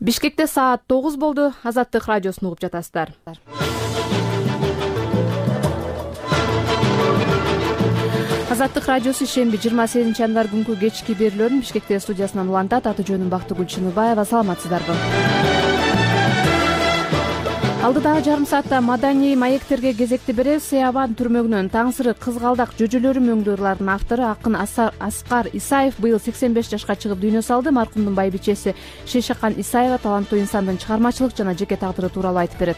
Бишкекте саат 9 болду. Азаттык радиосун угуп жатасыздар. Азаттык радиосу шемби 28 январь күнкү кечки берүүлөрүн Бишкекте студиясынан улантат. Аты жөнүм Бактыгүл Чыныбаева. Саламатсыздарбы? Алдыдагы жарым саатта маданий маектерге кезекти беребиз. Сыябан түрмөгүнөн Таңсырык кызгалдак жөжөлөрү мөңдүрлөрүнүн автору акын Аскар Исаев быйыл 85 жашка чыгып дүйнө салды. Маркумдун байбичеси Шейшакан Исаева таланттуу инсандын чыгармачылык жана жеке тагдыры тууралуу айтып берет.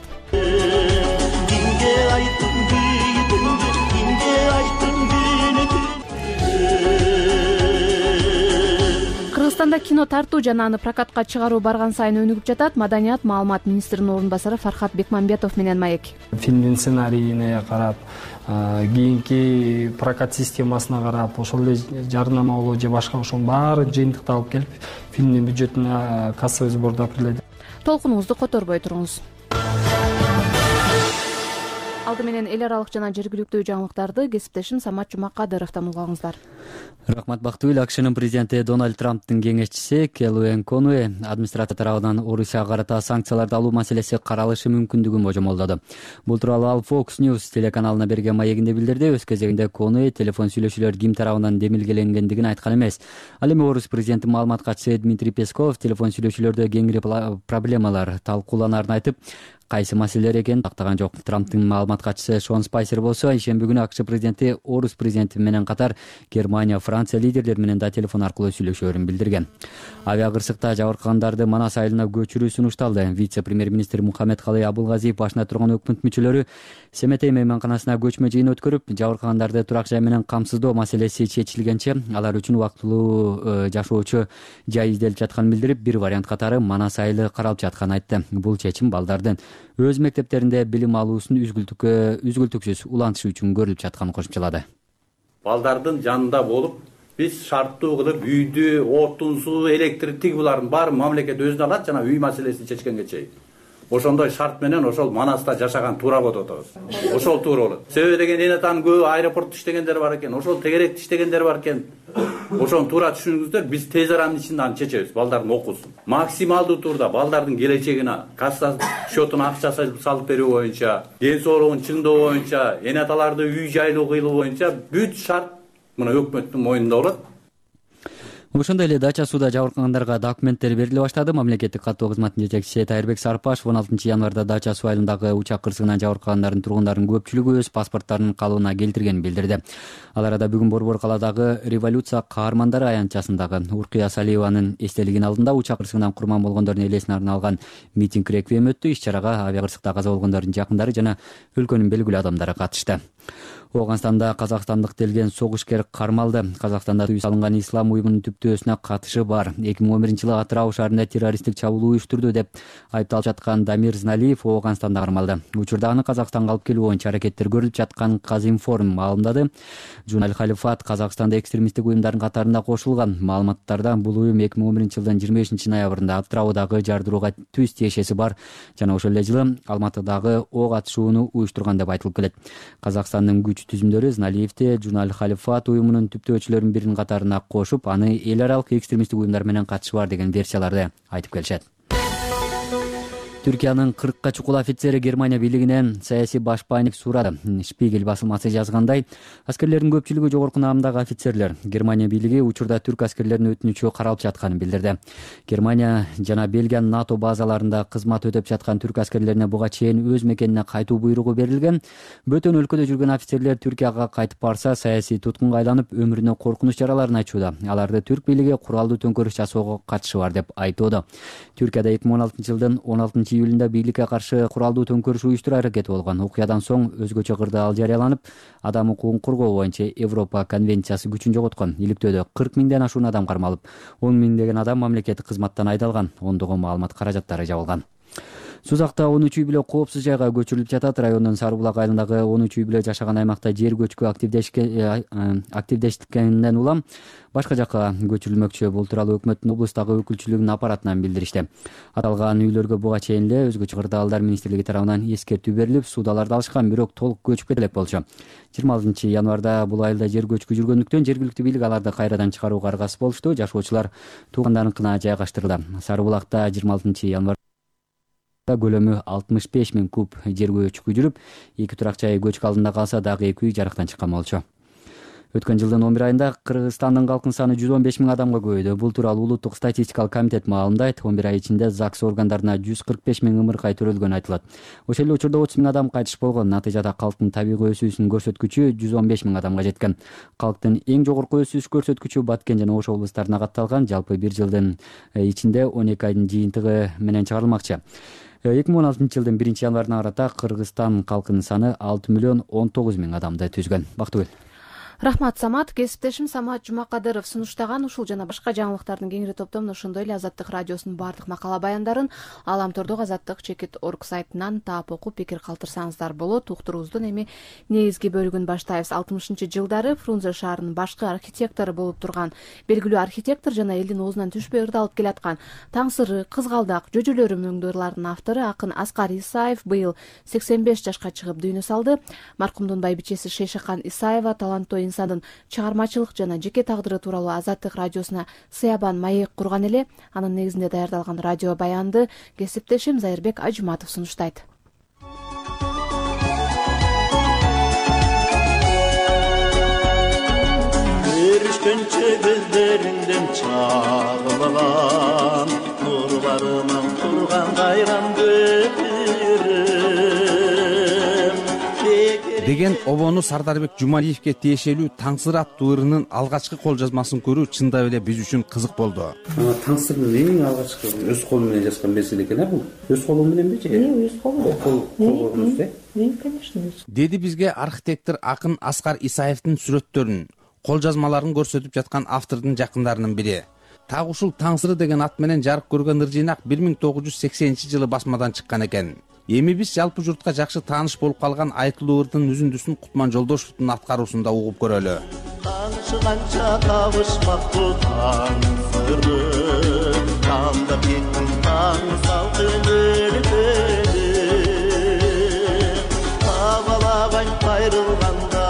Кыргызстанда кино тартуу жана аны прокатка чыгаруу барган сайын өнүгүп жатат. Маданият маалымат министринин орун басары Фархат Бекмамбетов менен маек. Фильмдин сценарийине карап, кийинки прокат системасына карап, ошол эле жарнамалоо же башка ошонун баарын жыйынтыкталып келип, фильмдин бюджетине кассовый сбордо кирилет. Толкунуңузду которбой туруңуз. Алды менен эл аралык жана жергиликтүү жаңылыктарды кесиптешим Самат Жумакадыровдон угаңыздар. Рахмат Бактыгүл. АКШнын президенти Дональд Трамптын кеңешчиси Келлиэн Конуэ администрация тарабынан Орусияга карата санкцияларды алуу маселеси каралышы мүмкүндүгүн божомолдоду. Бул тууралуу ал Fox News телеканалына берген маегинде билдирди. Өз кезегинде Конуэ телефон сүйлөшүүлөр ким тарабынан демилгеленгендигин айткан эмес. Ал эми Орус президенти маалымат катчысы Дмитрий Песков телефон сүйлөшүүлөрдө кеңири проблемалар талкууланарын айтып, кайсы маселелер экенин тактаган жок. Трамптын маалымат катчысы Шон Спайсер болсо ишемби күнү АКШ президенти Орус президенти менен катар Германия, Франция лидерлери менен да телефон аркылуу сүйлөшөөрүн билдирген. Авиакырсыкта жабыркагандарды Манас айылына көчүрүү сунушталды. Вице-премьер-министр Мухаммедкалый Абылгазиев башына турган өкмөт мүчөлөрү Семетей мейманканасына көчмө жыйын өткөрүп, жабыркагандарды турак жай менен камсыздоо маселеси чечилгенче алар үчүн убактылуу жашоочу жай изделип жатканын билдирип, бир вариант катары Манас айылы каралып жатканын айтты. Бул чечим балдардын өз мектептеринде билим алуусун үзгүлтүксүз улантышы үчүн көрүлүп жатканын кошумчалады. Балдардын жанында болуп, биз шарттуу кылып үйдү, отун, суу, электр, булардын баарын мамлекет өзүнө алат жана үй маселесин чечкенге чейин. Ошондой шарт менен ошол Манаста жашаган туура болот атабыз. Ошол туура болот. Себеби деген эне таан көбү аэропортто иштегендер бар экен, ошол тегеректе иштегендер бар экен. Ошону туура түшүнүңүздөр, биз тез аранын ичинде аны чечебиз, балдардын окуусун. Максималдуу турда балдардын келечегине, касса счетуна акча салып берүү боюнча, ден соолугун чыңдоо боюнча, эне аталарды үй жайлуу кыйлуу боюнча бүт шарт мына өкмөттүн мойнунда болот. Ошондой эле дача сууда жабыркагандарга документтер бериле баштады. Мамлекеттик каттоо кызматынын жетекчиси Тайырбек Сарпашев 16 январда дача суу айылындагы учак кырсыгынан жабыркагандардын тургундардын көпчүлүгү өз паспорттарынын калыбына келтиргенин билдирди. Ал арада бүгүн Борбор калаадагы революция каармандары аянтчасындагы Уркуя Салиеванын эстелигинин алдында учак кырсыгынан курман болгондордун элесин арналган митинг реквием өттү. Иш-чарага авиакырсыкта каза болгондордун жакындары жана өлкөнүн белгилүү адамдары катышты. Оганстанда казакстандык делген согушкер кармалды. Казакстанда үй салынган ислам уюмунун түптөөсүнө катышы бар. 2011 жылы Атырау шаарында террористтик чабуул уюштурду деп айыпталып жаткан Дамир Зналиев Оганстанда кармалды. Учурда аны Казакстанга алып келүү боюнча аракеттер көрүлүп жаткан Казинформ маалымдады. Журнал Халифат Казакстанда экстремисттик уюмдардын катарында кошулган. Маалыматтарда бул уюм 2011 жылдын 25 ноябрында Атыраудагы жардырууга түз тиешеси бар жана ошол эле жылы Алматыдагы ок атышууну уюштурган деп айтылып келет. Казакстандын түзүмдөрү Зналиевди Журнал Халифат уюмунун түптөөчүлөрүнүн биринин катарына кошуп, аны эл аралык экстремисттик уюмдар менен катышы бар деген версияларды айтып келишет. Түркиянын 40 чукул офицери Германия бийлигинен саясий башпайник сурады. Шпигель басылмасы жазгандай, аскерлердин көпчүлүгү жогорку наамдагы офицерлер. Германия бийлиги учурда түрк аскерлеринин өтүнүчү каралып жатканын билдирди. Германия жана Бельгия НАТО базаларында кызмат өтөп жаткан түрк аскерлерине буга чейин өз мекенине кайтуу буйругу берилген. Бөтөн өлкөдө жүргөн офицерлер Түркияга кайтып барса, саясий туткунга айланып, өмүрүнө коркунуч жараларын айтууда. Аларды түрк бийлиги куралдуу төңкөрүш жасоого катышы бар деп айтууда. Түркияда 2016 жылдын 16 июлунда бийликке каршы куралдуу төңкөрүш уюштуруу аракети болгон. Окуядан соң өзгөчө кырдаал жарыяланып, адам укугун коргоо боюнча Европа конвенциясы күчүн жоготкон. Иликтөөдө 40 миңден ашуун адам кармалып, 10 миңдеген адам мамлекеттик кызматтан айдалган, ондогон маалымат каражаттары жабылган. Сузакта 13 үй бүлө коопсуз жайга көчүрүлүп жатат. Райондун Сары Булак айылындагы 13 үй бүлө жашаган аймакта жер көчкү активдешкенден улам башка жакка көчүрүлмөкчү. Бул тууралуу өкмөттүн облустагы өкүлчүлүгүнүн аппаратынан билдиришти. Аталган үйлөргө буга чейин эле өзгөчө кырдаалдар министрлиги тарабынан эскертүү берилип, суудаларды алышкан, бирок толук көчүп кете элек болчу. 26 январда бул айылда жер көчкү жүргөндүктөн жергиликтүү бийлик аларды кайрадан чыгарууга аргасыз болушту. Жашоочулар туугандарыныкына жайгаштырылды. Сары Булакта 26 январда көлөмү 65 000 куб жер көчкү жүрүп, 2 турак жай көчкү алдында калса, дагы 2 үй жарыктан чыккан болчу. Өткөн жылдын 11 айында Кыргызстандын калкынын саны 115 000 адамга көбөйдү. Бул тууралуу улуттук статистикалык комитет маалымдайт. 11 ай ичинде ЗАГС органдарына 145 000 ымыркай төрөлгөнү айтылат. Ошол эле учурда 30 000 адам кайтыш болгон. Натыйжада калктын табигый өсүүсүнүн көрсөткүчү 115 000 адамга жеткен. Калктын эң жогорку өсүш көрсөткүчү Баткен жана Ош облустарына катталган. Жалпы бир жылдын ичинде 12 айдын жыйынтыгы менен чыгарылмакчы. 2016 жылдын 1 январына карата Кыргызстан калкынын саны 6 миллион 19 000 адамды түзгөн. Бактыгүл. Рахмат, Самат. Кесиптешим Самат Жумакадыров сунуштаган ушул жана башка жаңылыктардын кеңири топтомун ошондой эле Азаттык радиосунун баардык макала баяндарын Аламтордогу Азаттык-org сайтынан таап окуп пикир калтырсаңыздар болот. Уктуруубуздун эми негизги бөлүгүн баштайбыз. 60-жылдары Фрунзе шаарынын башкы архитектору болуп турган белгилүү архитектор жана элдин оозунан түшпөй ырдалып келаткан Таңсыры, Кызгалдак, Жөжөлөрүм өңдөрлөрүнүн автору акын Аскар Исаев быйыл 85 жашка чыгып дүйнө салды. Маркумдун байбичеси Шейшахан Исаева таланттуу инсандын чыгармачылык жана жеке тагдыры тууралуу Азаттык радиосуна сыябан маек курган эле. Анын негизинде даярдалган радио баянды кесиптешим Зайырбек Ажматов сунуштайт. Көрүшкөнчө көздөрүңдөн чагылган нурларынан турган кайран деген обону Сардарбек Жумалиевке тиешелүү Таңсыр аттуу ырынын алгачкы кол жазмасын көрүү чындап эле биз үчүн кызык болду. Таңсырдын эң алгачкы өз колу менен жазган меселе экен, бул. Өз колу мененби же? Өз колу. Конечно. Деди бизге архитектор акын Аскар Исаевдин сүрөттөрүн, кол жазмаларын көрсөтүп жаткан автордун жакындарынын бири. Так ушул Таңсыры деген ат менен жарык көргөн ыр жыйнак 1980-жылы басмадан чыккан экен. Эми биз жалпы журтка жакшы тааныш болуп калган айтылуу ырдын үзүндүсүн Кутман Жолдошевдун аткаруусунда угуп көрөлү. Канча табышмактуу таңсыры, кандап кеттим таң салкын өлкөнү. Табалабай кайрылганда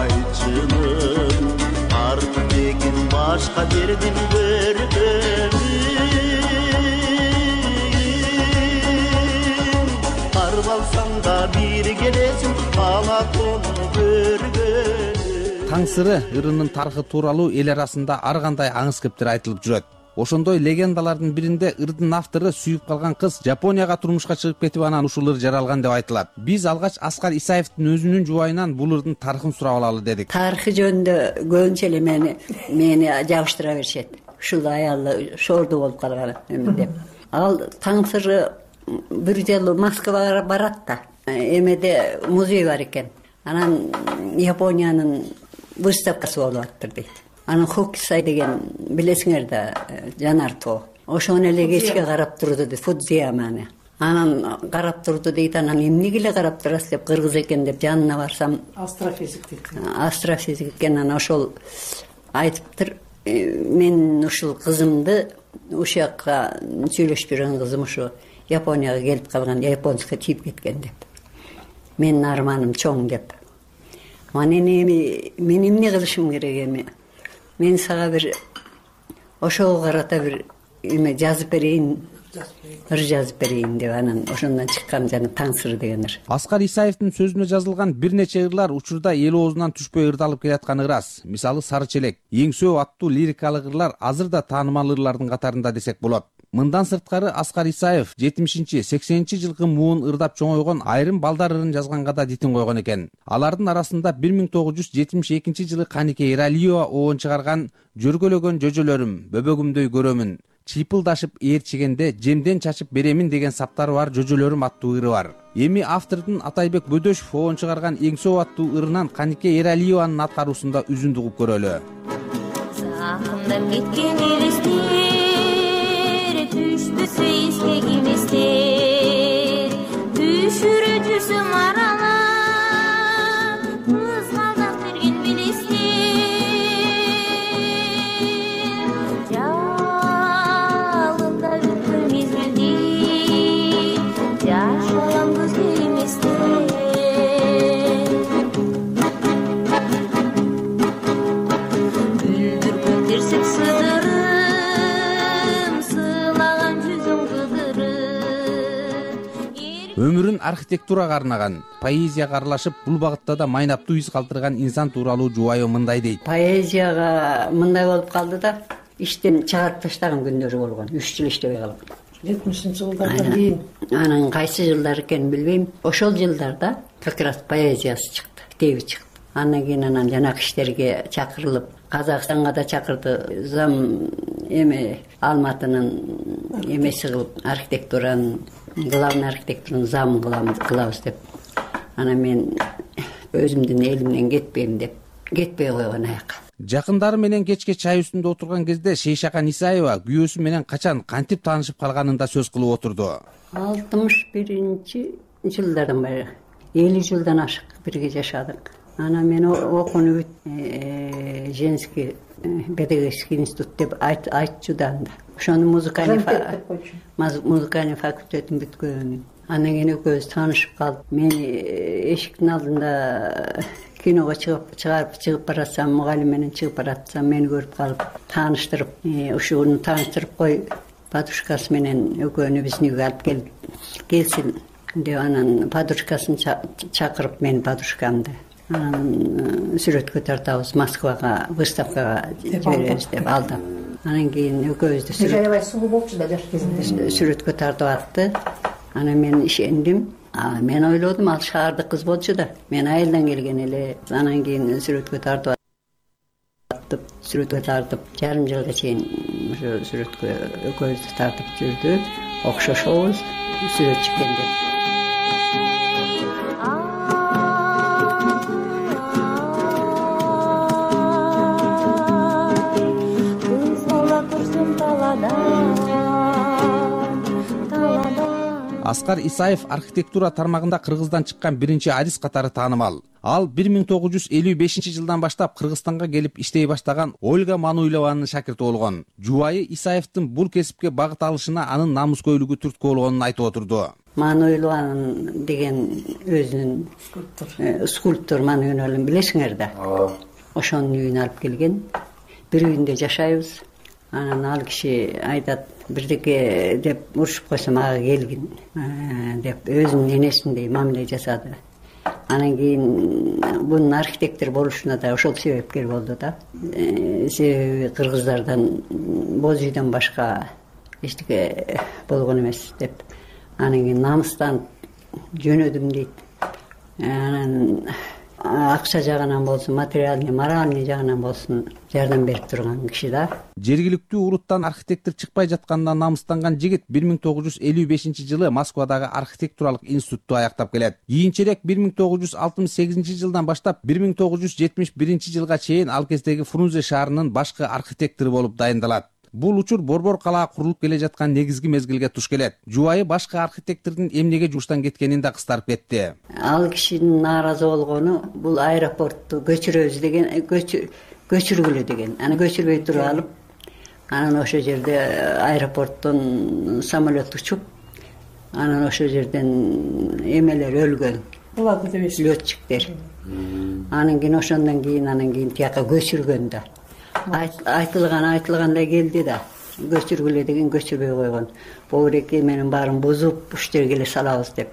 айчынын, артын деген башка жердин көргөнү. Таңсыры ырынын тарыхы тууралуу эл арасында ар кандай аңыз кептер айтылып жүрөт. Ошондой легендалардын биринде ырдын автору сүйүп калган кыз Жапонияга турмушка чыгып кетип анан ушул ыр жаралган деп айтылат. Биз алгач Аскар Исаевдин өзүнүн жубайынан бул ырдын тарыхын сурап алалы дедик. Тарыхы жөнүндө көбүнчө эле мени жабыштыра беришет. Ушул аялы шорду болуп калган деп. Ал Таңсыры бир жолу Москвага барат да. Эмеде музей бар экен. Анан Япониянын выставкасы болуп аттыр дейт. Анан Хокусай деген билесиңер да жанар тоо. Ошону эле кечке карап турду дейт, Фудзияманы. Анан карап турду дейт. Анан эмнеге эле карап турасыз деп, кыргыз экен деп жанына барсам, астрофизик дейт. Астрофизик экен. Анан ошол айтыптыр, мен ушул кызымды ушул жакка сүйлөшүп жүргөн кызым ушу Японияга келип калган, японская тийип кеткен деп. Менин арманым чоң деп. Мен эмне кылышым керек эми? Мен сага бир ошого карата бир эме жазып берейин, ыр жазып берейин деп анан ошондон чыккан жана Таңсыр деген ыр. Аскар Исаевдин сөзүнө жазылган бир нече ырлар учурда эл оозунан түшпөй ырдалып келатканы ырас. Мисалы Сары челек, Эңсөө аттуу лирикалык ырлар азыр да таанымал ырлардын катарында десек болот. Мындан сырткары Аскар Исаев 70-80-жылкы муун ырдап чоңойгон айрым балдар ырын жазганга да дитин койгон экен. Алардын арасында 1972-жылы Канике Эралиева оон чыгарган Жөргөлөгөн жөжөлөрүм, бөбөгүмдөй көрөмүн, чыйпылдашып ээрчигенде жемден чачып беремин деген саптары бар Жөжөлөрүм аттуу ыры бар. Эми автордун Атайбек Бөдөшев оон чыгарган Эңсөө аттуу ырынан Канике Эралиеванын аткаруусунда үзүндү угуп көрөлү. Сагындап кеткен элестер түштү эске киместер, түшүрө жүрсөм аралап кызгалдак берген билесиң жалында өткөн мезгилди жашаган көзгө эместен бүлдүргөн терсек сыдырым сыйлаган жүзүң кыдырып өмүрүн архитектурага арнаган, поэзияга аралашып, бул багытта да майнаптуу из калтырган инсан тууралуу жубайы мындай дейт. Поэзияга мындай болуп калды да, иштен чыгарып таштаган күндөрү болгон. 3 жыл иштебей калып. 70-жылдардан кийин. Анан кайсы жылдар экенин билбейм. Ошол жылдарда как раз поэзиясы чыкты, китеби чыкты. Андан кийин жанакы иштерге чакырылып, Казакстанга да чакырды. Зам Алматынын эмеси кылып, архитектуранын, главный архитектураны зам кылабыз деп. Анан мен өзүмдүн элимден кетпейм деп, кетпей койгон аяка. Жакындары менен кечке чай үстүндө отурган кезде Шейшакан Исаева күйөөсү менен качан кантип таанышып калганын да сөз кылып отурду. 61-жылдардан бери 50 жылдан ашык бирге жашадык. Анан мен окууну женский педагогический институт деп айтчу да анда. Ошону музыкальный факультетин бүткөн. Андан кийин экөөбүз таанышып калдык. Мен эшиктин алдында киного чыгып баратсам, мугалим менен чыгып баратсам, мени көрүп калып, тааныштырып, ушуну тааныштырып кой, подружкасы менен экөөнү биздин үйгө алып келсин деп, анан подружкасын чакырып, мен подружкамды анан сүрөткө тартабыз, Москвага, выставкага жиберебиз деп алдап. Анан кийин экөөбүздү аябай сулуу болчу да жаш кезинде. Сүрөткө тартып атты. Анан мен ишендим. Мен ойлодум, ал шаардык кыз болчу да. Мен айылдан келген эле. Анан кийин сүрөткө тартып жарым жылга чейин ошо сүрөткө экөөбүздү тартып жүрдү. Окшошобуз, сүрөтчү экен деп. Аскар Исаев архитектура тармагында Кыргыздан чыккан биринчи арист катары таанымал. Ал 1955-жылдан баштап Кыргызстанга келип иштей баштаган Ольга Мануйлованын шакирти болгон. Жубайы Исаевдин бул кесипке багыт алышына анын намыскөйлүгү түрткү болгонун айтып отурду. Мануйлован деген өзүнүн скульптор Мануйлован билесиңер да. Ошонун үйүнө алып келген. Бир үйүндө жашайбыз. Анан ал киши айтат, бирдеке деп урушуп койсом ага келгин деп өзүнүн энесиндей мамиле жасады. Анан кийин бунун архитектор болушуна да ошол себепкер болду да. Себеби кыргыздардан боз үйдөн башка эчтеке болгон эмес деп. Анан кийин намыстан жөнөдүм дейт. Анан акча жагынан болсун, материальный, моральный жагынан болсун жардам берип турган киши да. Жергиликтүү уруттан архитектор чыкпай жаткандан намыстанган жигит 1955-жылы Москвадагы архитектуралык институтту аяктап келет. Кийинчерээк 1968-жылдан баштап 1971-жылга чейин ал кездеги Фрунзе шаарынын башкы архитектору болуп дайындалат. Бул учур борбор калаа курулуп келе жаткан негизги мезгилге туш келет. Жубайы башкы архитектордун эмнеге жуштан кеткенин да кыстарып кетти. Ал кишинин нааразы болгону бул аэропортту көчүрөбүз деген, көчүргүлө деген. Аны көчүрбөй туруп алып, анан ошол жерде аэропорттон самолет учуп, анан ошол жерден эмелер өлгөн. Буларды дебейсиз. Летчиктер. Анан кийин тияка көчүргөн да. Айтылгандай келди да. Көчүргүлө деген көчүрбөй койгон. Бобуреке менин баарын бузуп, уш жерге эле салабыз деп.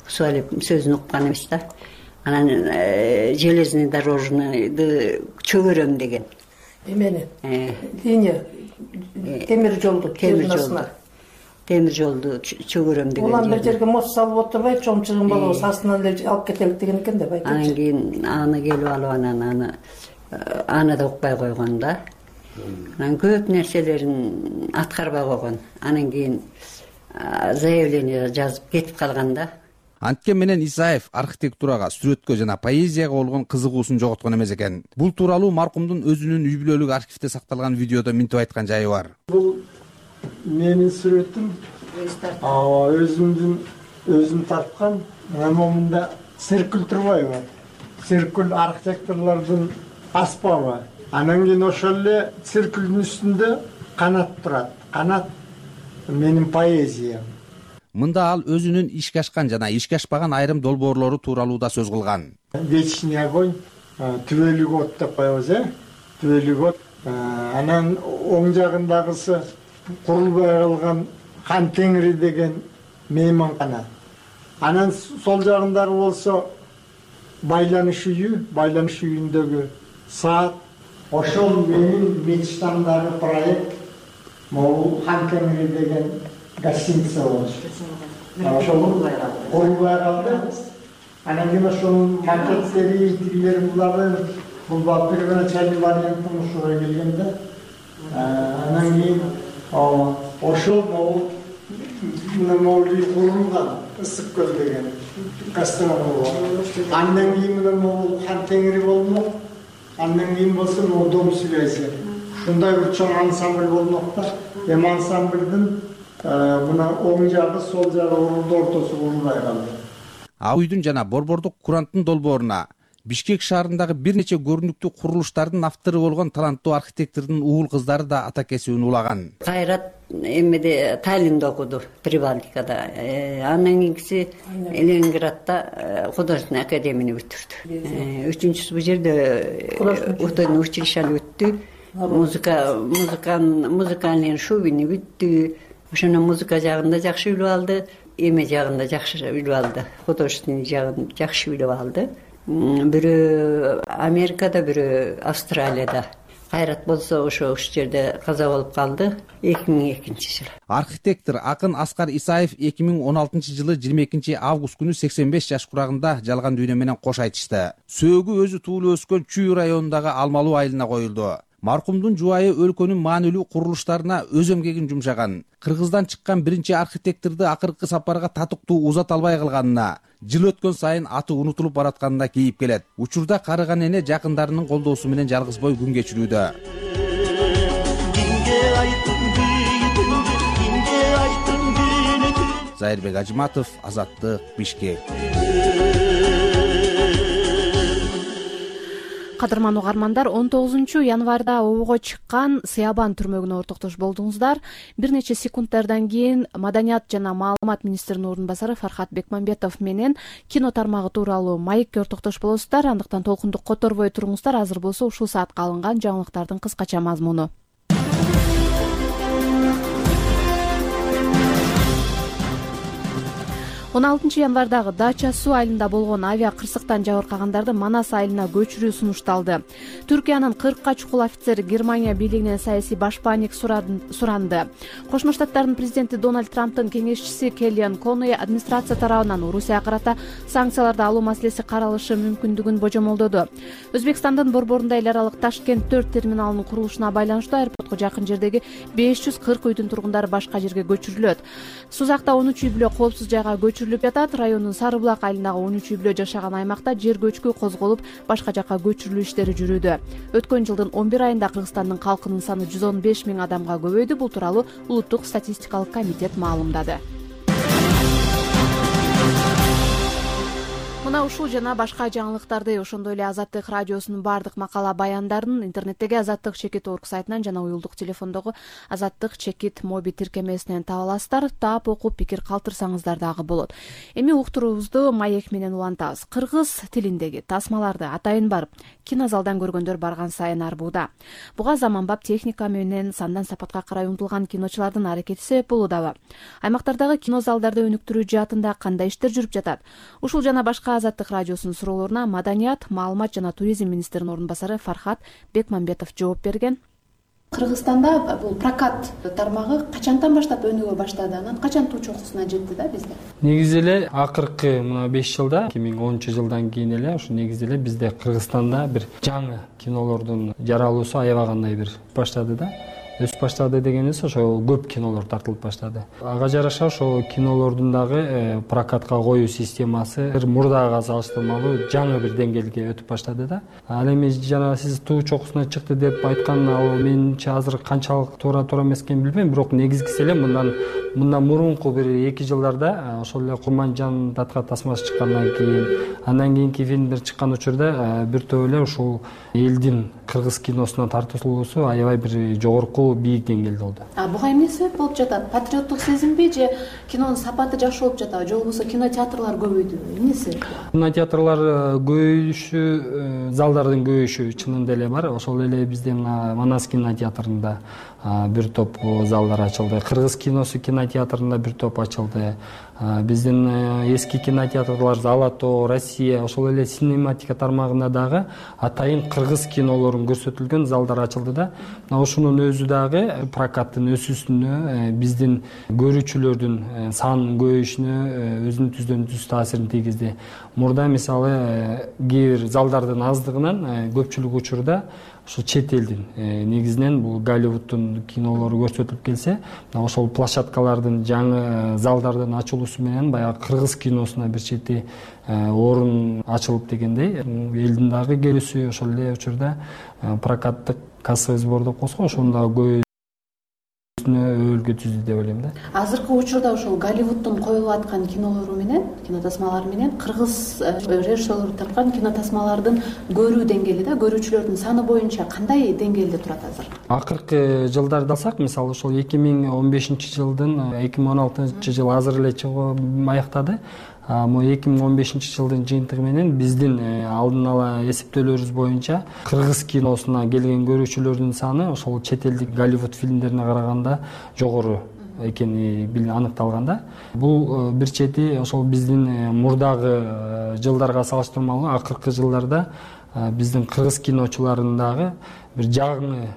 Суалеп сөзүн уккан эмес да. Анан железный дорожныйды чөгөрөм деген. Эмени? Линия темир жолду чөгөрөм деген. Улам бир жерге мост салып отурбай, чоң чыгым болобуз, астынан эле алып кетелик деген экен деп айтты. Анан кийин аны келип алып анан аны да укпай койгон да. Анан көп нерселерин аткарбай койгон. Анан кийин заявление жазып кетип калган да. Анткен менен Исаев архитектурага, сүрөткө жана поэзияга болгон кызыгуусун жоготкон эмес экен. Бул тууралуу маркумдун өзүнүн үй бүлөлүк архивде сакталган видеодо минтип айткан жайы бар. Бул менин сүрөтүм. Өзүмдүн өзүн тарткан. Мына момунда Серкүл Турбаева, Серкүл архитекторлордун аспабы. Анан кийин ошол эле Серкүлдүн үстүндө канат турат. Канат менин поэзиям. Мында ал өзүнүн ишке ашкан жана ишке ашпаган айрым долбоорлору тууралуу да сөз кылган. Вечный огонь, түбөлүк от деп коебуз, түбөлүк от. Анан оң жагындагысы курулбай калган Хан Теңири деген мейманкана. Анан сол жагындагы болсо байланыш үйүндөгү саат. Ошол менин мечтамдагы проект. Могул Хан Теңири деген гостиница болчу. Ошол курулбай калды. Анан кийин ошонун макеттери, тигилери буларды бул первоначальный вариантын ушуга келгенде, анан кийин ошол могул үй курулган, Ысык көл деген гастрономия. Андан кийин могул Хан Теңири болмок. Андан кийин болсо дом связи. Ушундай бир чоң ансамбль болмок да. Эми ансамбльдин мына оң жагы, сол жагы ортосу курулбай калды. Ауйдун жана Борбордук Куранттын долбооруна Бишкек шаарындагы бир нече көрүнүктүү курулуштардын автору болгон таланттуу архитектордун уул кыздары да ата кесибин улаган. Кайрат эмеде Таллинде окуду, Прибалтикада. Андан кийинкиси Ленинградда художественный академияны бүтүрдү. Үчүнчүсү бул жерде художественный училищени бүттү. Музыкальный шубини бүттү. Ошондон музыка жагында жакшы билип алды, эме жагында жакшы билип алды, художественный жагын жакшы билип алды. Бирөө Америкада, бирөө Австралияда. Кайрат болсо ошол жерде каза болуп калды 2002-жылы. Архитектор акын Аскар Исаев 2016-жылы 22 август күнү 85 жаш курагында жалган дүйнө менен кош айтышты. Сөөгү өзү туулуп өскөн Чүй районундагы Алмалуу айылына коюлду. Маркумдун жубайы өлкөнүн маанилүү курулуштарына өз эмгегин жумшаган. Кыргыздан чыккан биринчи архитекторду акыркы сапарга татыктуу узата албай калганына, жыл өткөн сайын аты унутулуп баратканына кейип келет. Учурда карыган эне жакындарынын колдоосу менен жалгыз бой күн кечирүүдө. Зайырбек Ажыматов, Азаттык, Бишкек. Кадырман угармандар, 19-январда обого чыккан Сыябан түрмөгүнө ортоктош болдуңуздар. Бир нече секунддардан кийин Маданият жана маалымат министринин ордун басары Фархат Бекмамбетов менен кино тармагы тууралуу маекке ортоктош болосуздар. Андыктан толкунду которбой туруңуздар. Азыр болсо ушул саатка алынган жаңылыктардын кыскача мазмуну. 16-январдагы Дача суу айылында болгон авиа кырсыктан жабыркагандарды Манас айылына көчүрүү сунушталды. Түркиянын 40 чукул офицери Германия бийлигинен саясий башпаанник суранды. Кошмо Штаттардын президенти Дональд Трамптын кеңешчиси Келлиан Конуэй администрация тарабынан Орусияга карата санкцияларды алуу маселеси каралышы мүмкүндүгүн божомолдоду. Өзбекстандын борборунда эл аралык Ташкент 4 терминалынын курулушуна байланыштуу аэропортко жакын жердеги 540 үйдүн тургундары башка жерге көчүрүлөт. Сузакта 13 үй бүлө коопсуз жайга көчүрүлүп жатат. Райондун Сары булак айылындагы 13 үй бүлө жашаган аймакта жер көчкү козголуп, башка жакка көчүрүлүү иштери жүрүүдө. Өткөн жылдын 11 айында Кыргызстандын калкынын саны 115 000 адамга көбөйдү. Бул тууралуу Улуттук статистикалык комитет маалымдады. Мына ушул жана башка жаңылыктарды, ошондой эле Азаттык радиосунун бардык макала баяндарын интернеттеги azattik.org сайтынан жана уюлдук телефондогу Azattik моби тиркемесинен таба аласыздар. Таап окуп пикир калтырсаңыздар дагы болот. Эми уктуруубузду маек менен улантабыз. Кыргыз тилиндеги тасмаларды атайын барып, кинозалдан көргөндөр барган сайын арбууда. Буга заманбап техника менен сандан сапатка карай умтулган киночулардын аракети себеп болуудабы? Аймактардагы кинозалдарды өнүктүрүү жаатында кандай иштер жүрүп жатат? Ушул жана башка Азаттык радиосунун суроолоруна Маданият, маалымат жана туризм министринин ордун басары Фархат Бекмамбетов жооп берген. Кыргызстанда бул прокат тармагы качантан баштап өнүгө баштады? Анан качан туу чокусуна жетти да бизде? Негизи эле акыркы мына 5 жылда, 2010-жылдан кийин эле ушу негизи эле бизде Кыргызстанда бир жаңы кинолордун жаралуусу аябагандай бир баштады да. өсүп баштады дегенибиз ошо көп кинолор тартылып баштады. Ага жараша ошо кинолордун дагы прокатка коюу системасы мурдага салыштырмалуу жаңы бир деңгээлге өтүп баштады да. Ал эми жана сиз туу чокусуна чыкты деп айткан, ал менимче азыр канчалык туура эмес экенин билбейм, бирок негизгиси эле мындан мурунку бир 2 жылдарда ошол эле Курманжан датка тасмасы чыккандан кийин, андан кийинки фильмдер чыккан учурда бир топ эле ушул элдин кыргыз киносуна тартылуусу аябай бир жогорку бийик деңгээлде болду. Буга эмне себеп болуп жатат? Патриоттук сезимби же кинонун сапаты жакшы болуп жатабы, же болбосо кинотеатрлар көбөйдүбү? Эмне себеп? Кинотеатрлар көбөйүшү, залдардын көбөйүшү чынында эле бар. Ошол эле биздин Манас кинотеатрында бир топ залдар ачылды. Кыргыз киносу кинотеатрында бир топ ачылды. Биздин эски кинотеатрлар Алатоо, Россия, ошол эле синематика тармагында дагы атайын кыргыз кинолорун көрсөтүлгөн залдар ачылды да. Ошонун өзү дагы прокаттын өсүүсүнө, биздин көрүүчүлөрдүн санынын көбөйүшүнө өзүнүн түздөн-түз таасирин тийгизди. Мурда мисалы кээ бир залдардын аздыгынан көпчүлүк учурда ошо чет элдин негизинен бул Голливудтун кинолору көрсөтүлүп келсе, ошол площадкалардын жаңы залдардын ачылуусу менен баягы кыргыз киносуна бир чети орун ачылып дегендей, элдин дагы келүүсү ошол эле учурда прокаттык кассовый сборду коско ошону дагы өөлгө түздү деп ойлойм да. Азыркы учурда ошол Голливудтун коюлуп аткан кинолору менен, кинотасмалары менен кыргыз режиссерлор тарткан кинотасмалардын көрүү деңгээли да, көрүүчүлөрдүн саны боюнча кандай деңгээлде турат азыр? Акыркы жылдарды алсак, мисалы ошол 2015-жылдын 2016-жыл азыр эле чыгып аяктады. 2015-жылдын жыйынтыгы менен биздин алдын ала эсептөөлөрүбүз боюнча кыргыз киносуна келген көрүүчүлөрдүн саны ошол чет элдик Голливуд фильмдерине караганда жогору экени аныкталган да. Бул бир чети ошол биздин мурдагы жылдарга салыштырмалуу акыркы жылдарда биздин кыргыз киночуларынын дагы бир жаңы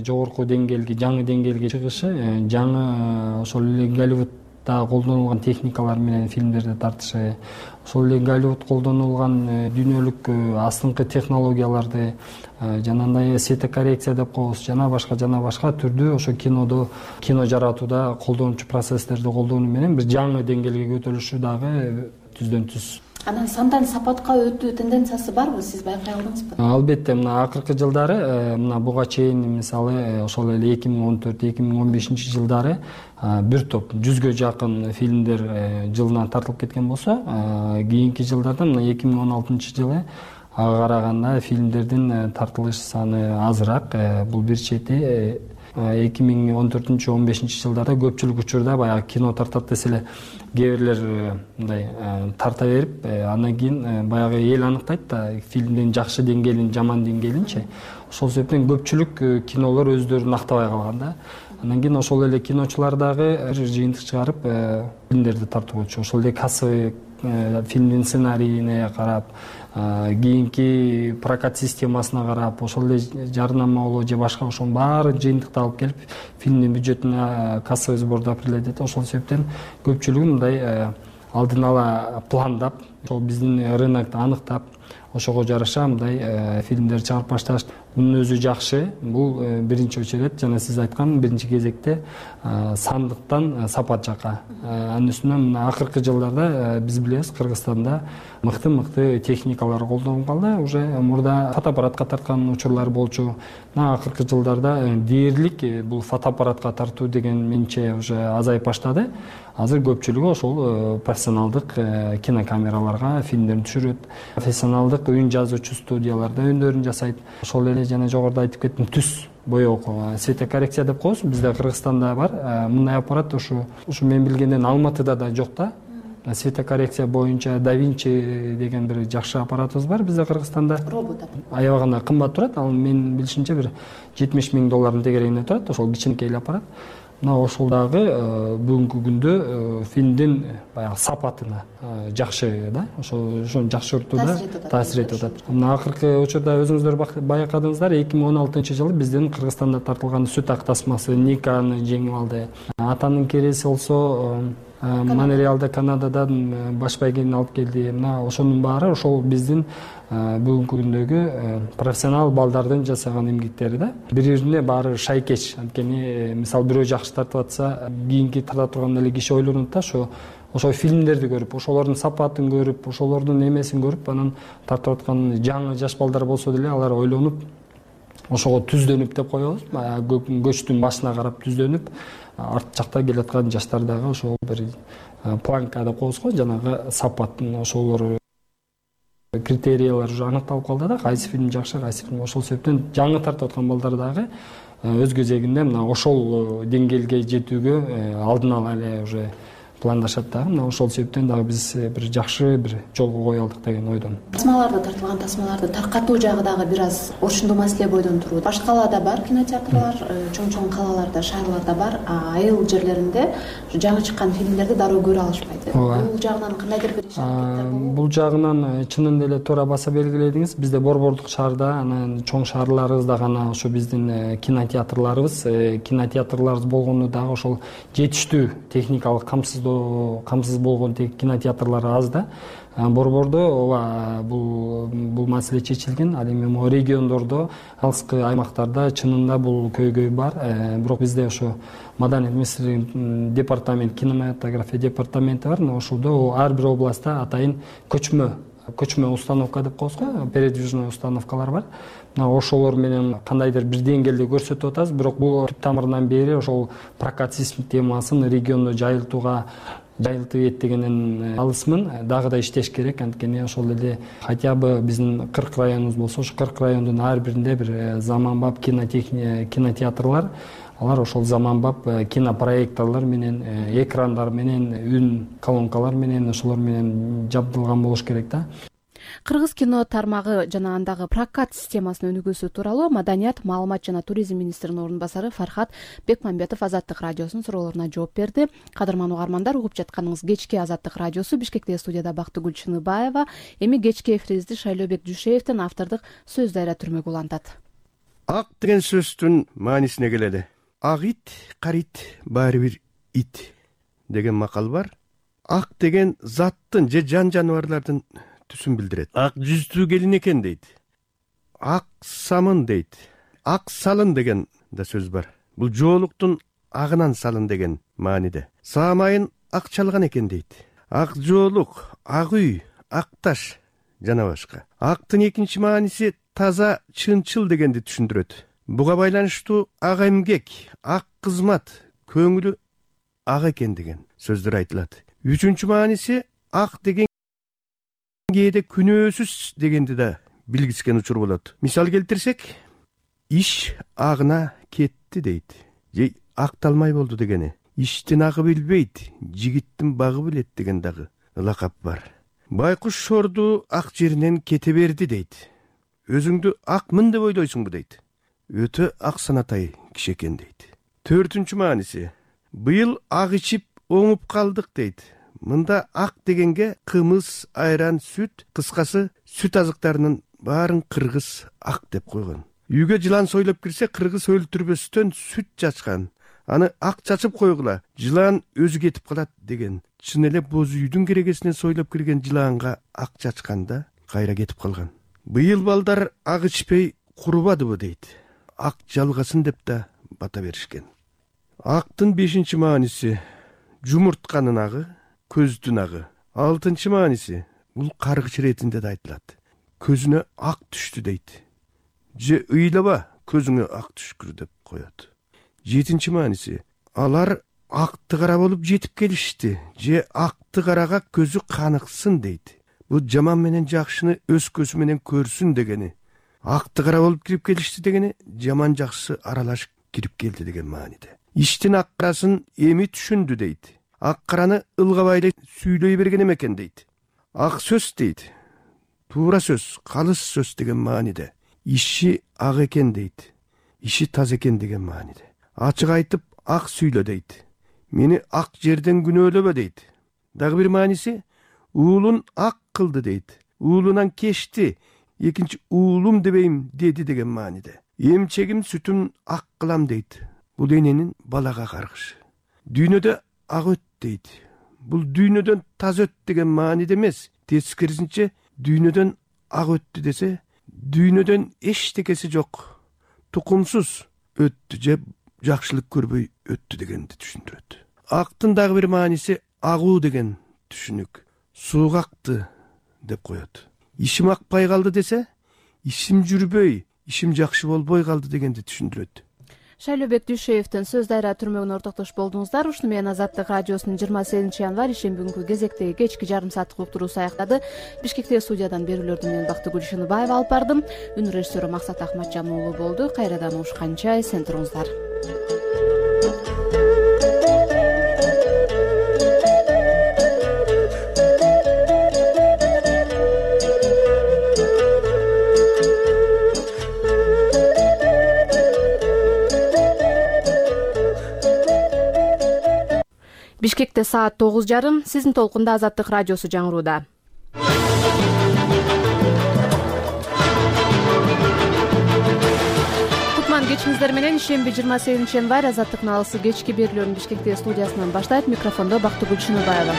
жогорку деңгээлге, жаңы деңгээлге чыгышы, жаңы ошол эле Голливуд колдонулган техникалар менен фильмдерди тартышы, ошол эле Голливуд колдонулган дүйнөлүк астыңкы технологияларды, жанагындай светокоррекция деп коебуз, жана башка түрдүү ошо кино жаратууда колдонуучу процесстерди колдонуу менен бир жаңы деңгээлге көтөрүлүшү дагы түздөн-түз. Анан сандан сапатка өтүү тенденциясы барбы, сиз байкай алдыңызбы? Албетте, мына акыркы жылдары, мына буга чейин мисалы ошол эле 2014-2015 жылдары бир топ 100гө жакын фильмдер жылына тартылып кеткен болсо, кийинки жылдарда мына 2016 жылы ага караганда фильмдердин тартылыш саны азыраак. Бул бир чети 2014-15 жылдарда көпчүлүк учурда баягы кино тартат десе эле кээ бирлер мындай тарта берип, андан кийин баягы эл аныктайт да фильмдин жакшы деңгээлин, жаман деңгээлинчи. Ошол себептен көпчүлүк кинолор өздөрүн актабай калган да. Андан кийин ошол эле киночулар дагы жыйынтык чыгарып фильмдерди тартуучу. Ошол эле кассовый фильмдин сценарийине карап, кийинки прокат системасына карап, ошол эле жарнамалоо же башка ошонун баары жыйынтыкталып келип фильмдин бюджетине кассовый сборду определять. Ошол себептен көпчүлүгү мындай алдын ала пландап, ошол биздин рынокто аныктап, ошого жараша мындай фильмдер чыгарып башташ. Мунун өзү жакшы. Бул биринчи очередь жана сиз айткан биринчи кезекте сандыктан сапат жака. Анын үстүнө мына акыркы жылдарда биз билебиз, Кыргызстанда мыкты техникалар колдонуп калды. Уже мурда фотоаппаратка тарткан учурлар болчу. Мына акыркы жылдарда дээрлик бул фотоаппаратка тартуу деген менче уже азайып баштады. Азыр көпчүлүгү ошол профессионалдык кинокамераларга фильмдерин түшүрөт. Профессионалдык үн жазуучу студияларда үндөрүн жасайт. Ошол эле жана жогоруда айтып кеттим, түс боёк светокоррекция деп коебуз. Бизде Кыргызстанда бар. Мындай аппарат ушу мен билгенден Алматыда да жок да. Светокоррекция боюнча Da Vinci деген бир жакшы аппаратыбыз бар бизде Кыргызстанда. Робот. Аябай гана кымбат турат. Ал мен билишимче бир 70 000 доллардын тегерегинде турат. Ошол кичинекей аппарат. Мына ошол дагы бүгүнкү күндө фильмдин баягы сапатына жакшы да, ошону жакшыртууда таасир этип атат. Мына акыркы учурда өзүңүздөр байкадыңыздар, 2016 жылы биздин Кыргызстанда тартылган сүт ак тасмасы Никаны жеңип алды. Атанын кереси болсо Монреалда Канададан баш байгени алып келди. Мына ошонун баары ошол биздин бүгүнкү күндөгү профессионал балдардын жасаган эмгектери да. Бири-бирине баары шайкеч. Анткени мисалы бирөө жакшы тартып атса, кийинки тарта турган эле киши ойлонот да, ошол фильмдерди көрүп, ошолордун сапатын көрүп, ошолордун эмесин көрүп, анан тартып аткан жаңы жаш балдар болсо деле алар ойлонуп, ошого түздөнүп деп коебуз. Көчтүн башына карап түздөнүп, арт жакта келаткан жаштар дагы ошол бир планка деп коебуз го, жанагы сапаттын ошолор критериялар уже аныкталып калды да, кайсы фильм жакшы, кайсы фильм. Ошол себептен жаңы тартып аткан балдар дагы өз кезегинде мына ошол деңгээлге жетүүгө алдын ала эле уже пландашат дагы. Мына ошол себептен дагы биз бир жакшы бир жолго кое алдык деген ойдон. Тасмаларды тартылган тасмаларды таркатуу жагы дагы бир аз ошондо маселе бойдон турат. Башка калаада бар кинотеатрлар, чоң калаларда, шаарларда бар, айыл жерлеринде жаңы чыккан фильмдерди дароо көрө алышпайт. Бул жагынан кандайдыр бир иш-аракеттер болобу? Бул жагынан чынында эле туура баса белгиледиңиз. Бизде борбордук шаарда, анан чоң шаарларыбызда гана ошо биздин кинотеатрларыбыз болгону дагы ошол жетиштүү техникалык камсыз болгон кинотеатрлар аз да. Борбордо ооба бул маселе чечилген. Ал эми могу региондордо, алыскы аймактарда чынында бул көйгөй бар. Бирок бизде ошо Маданият министрлигинин департамент, кинематография департаменти бар. Ошолдо ар бир областта атайын көчмө установка деп коебуз го, передвижной установкалар бар. Ошолор менен кандайдыр бир деңгээлде көрсөтүп атабыз. Бирок бул түп тамырынан бери ошол прокат системасын региондо жайылтып этдегенен алысмын. Дагы да иштеш керек. Анткени ошол эле хотя бы биздин 40 районубуз болсо, ошо 40 райондун ар биринде бир заманбап кинотеатрлар, алар ошол заманбап кинопроекторлор менен, экрандар менен, үн колонкалар менен, ошолор менен жабдылган болуш керек да. Кыргыз кино тармагы жана андагы прокат системасынын өнүгүүсү тууралуу Маданият, маалымат жана туризм министринин орун басары Фархат Бекмамбетов Азаттык радиосунун суроолоруна жооп берди. Кадырман угармандар, угуп жатканыңыз кечки Азаттык радиосу. Бишкектеги студияда Бактыгүл Чыныбаева. Эми кечки эфирибизди Шайлообек Жушеевдин автордук сөз дайра түрмөгү улантат. Ак деген сөздүн маанисине келели. Ак ит, кара ит, баары бир ит деген макал бар. Ак деген заттын же жан жаныбарлардын түсүн билдирет. Ак жүздүү келин экен дейт. Ак самын дейт. Ак салын деген да сөз бар. Бул жоолуктун агынан салын деген мааниде. Саамайын ак чалган экен дейт. Ак жоолук, ак үй, ак таш жана башка. Актын экинчи мааниси таза, чынчыл дегенди түшүндүрөт. Буга байланыштуу ак эмгек, ак кызмат, көңүлү ак экен деген сөздөр айтылат. Үчүнчү мааниси ак деген кээде күнөөсүз дегенди да билгискен учур болот. Мисал келтирсек, иш агына кетти дейт. Же акталмай болду дегени. Иштин агы билбейт, жигиттин багы билет деген дагы лакап бар. Байкуш шорду ак жеринен кете берди дейт. Өзүңдү акмын деп ойлойсуңбу дейт. Өтө ак санатай киши экен дейт. Төртүнчү мааниси, быйыл ак ичип оңуп калдык дейт. Мында ак дегенге кымыз, айран, сүт, кыскасы сүт азыктарынын баарын кыргыз ак деп койгон. Үйгө жылан сойлоп кирсе, кыргыз өлтүрбөстөн сүт чачкан. Аны ак чачып койгула, жылан өзү кетип калат деген. Чын эле боз үйдүн керегесинен сойлоп кирген жыланга ак чачканда кайра кетип калган. Быйыл балдар ак ичпей курубадыбы дейт. Ак жалгасын деп да бата беришкен. Актын 5-чи мааниси жумуртканын агы, көздүн агы. 6-чы мааниси бул каргыч иретинде да айтылат. Көзүнө ак түштү дейт. Же ыйлаба, көзүңө ак түшкүр деп коет. 7-чи мааниси алар акты кара болуп жетип келишти. Же акты карага көзү каныксын дейт. Бул жаман менен жакшыны өз көзү менен көрсүн дегени. Акты кара болуп кирип келишти дегени, жаман жакшы аралашып кирип келди деген мааниде. Иштин ак карасын эми түшүндү дейт. Ак караны ылгабай эле сүйлөй берген экен дейт. Ак сөз дейт. Туура сөз, калыс сөз деген мааниде. Иши ак экен дейт. Иши таза экен деген мааниде. Ачык айтып ак сүйлө дейт. Мени ак жерден күнөөлөбө дейт. Дагы бир мааниси уулун ак кылды дейт. Уулунан кечти, экинчи уулум дебейм деди деген мааниде. Эмчегим сүтүм ак кылам дейт. Бул эненин балага каргышы. Дүйнөдө ак өт дейт. бул дүйнөдөн таза өттү деген мааниде эмес, тескерисинче дүйнөдөн ак өттү десе, дүйнөдөн эчтекеси жок, тукумсуз өттү же жакшылык көрбөй өттү дегенди түшүндүрөт. Актын дагы бир мааниси агуу деген түшүнүк. Сууга акты деп коет. Ишим акпай калды десе, ишим жүрбөй, ишим жакшы болбой калды дегенди түшүндүрөт. Шайлообек Дүйшеевдин Сөз Дайра түрмөгүнө ортоктош болдуңуздар. Ушуну менен Азаттык радиосунун 28 январь ишемби күнкү кезектеги кечки жарым сааттык уктуруусу аяктады. Бишкектеги студиядан берүүлөрдү менен Бактыгүл Ишенбаева алып бардым. Үн режиссеру Максат Ахматжан уулу болду. Кайрадан угушканча эсен туруңуздар. Бишкекте саат 9:30. Сиздин толкунда Азаттык радиосу жаңырууда. Кутман кечиңиздер менен ишемби 28 январь Азаттыктын алысы кечки берүүлөрүн Бишкектеги студиясынан баштайт. Микрофондо Бактыгүл Ишенбаева.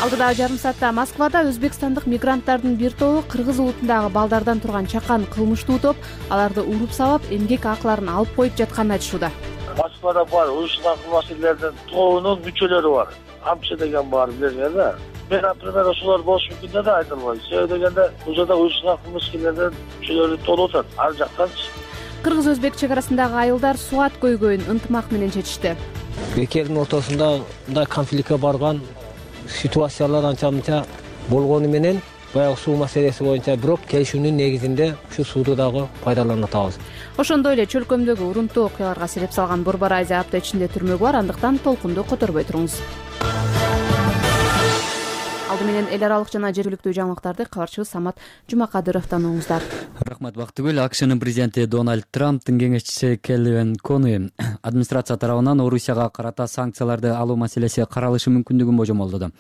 Алдыдагы жарым саатта Москвада өзбекстандык мигранттардын бир тобу кыргыз улутундагы балдардан турган чакан кылмыштуу топ аларды уруп сабап, эмгек акыларын алып коюп жатканын айтышууда. Москвада бар уюшкан кылмыскерлердин тобунун мүчөлөрү бар. Амчы деген бар, билесиңер да. Мен, например, ошолор болушу мүмкүн деп айтылбайт. Себеби дегенде, бул жерде уюшкан кылмыскерлердин мүчөлөрү толуп атат. Ар жактанчы. Кыргыз-өзбек чек арасындагы айылдар суат көйгөйүн ынтымак менен чечишти. Эки элдин ортосунда мындай конфликтке барган ситуациялар анча-мынча болгону менен баягы суу маселеси боюнча бирок келишүүнүн негизинде ушу сууду дагы пайдалана атабыз. Ошондой эле чөлкөмдөгү урунттуу окуяларга себеп салган Борбор Азия апта ичинде түрмөгү бар, андыктан толкунду которбой туруңуз. Алды менен эл аралык жана жергиликтүү жаңылыктарды кабарчыбыз Самат Жумакадыровдон угуңуздар. Рахмат Бактыгүл. АКШнын президенти Дональд Трамптын кеңешчиси Келвин Кони администрация тарабынан Орусияга карата санкцияларды алуу маселеси каралышы мүмкүндүгүн божомолдоду.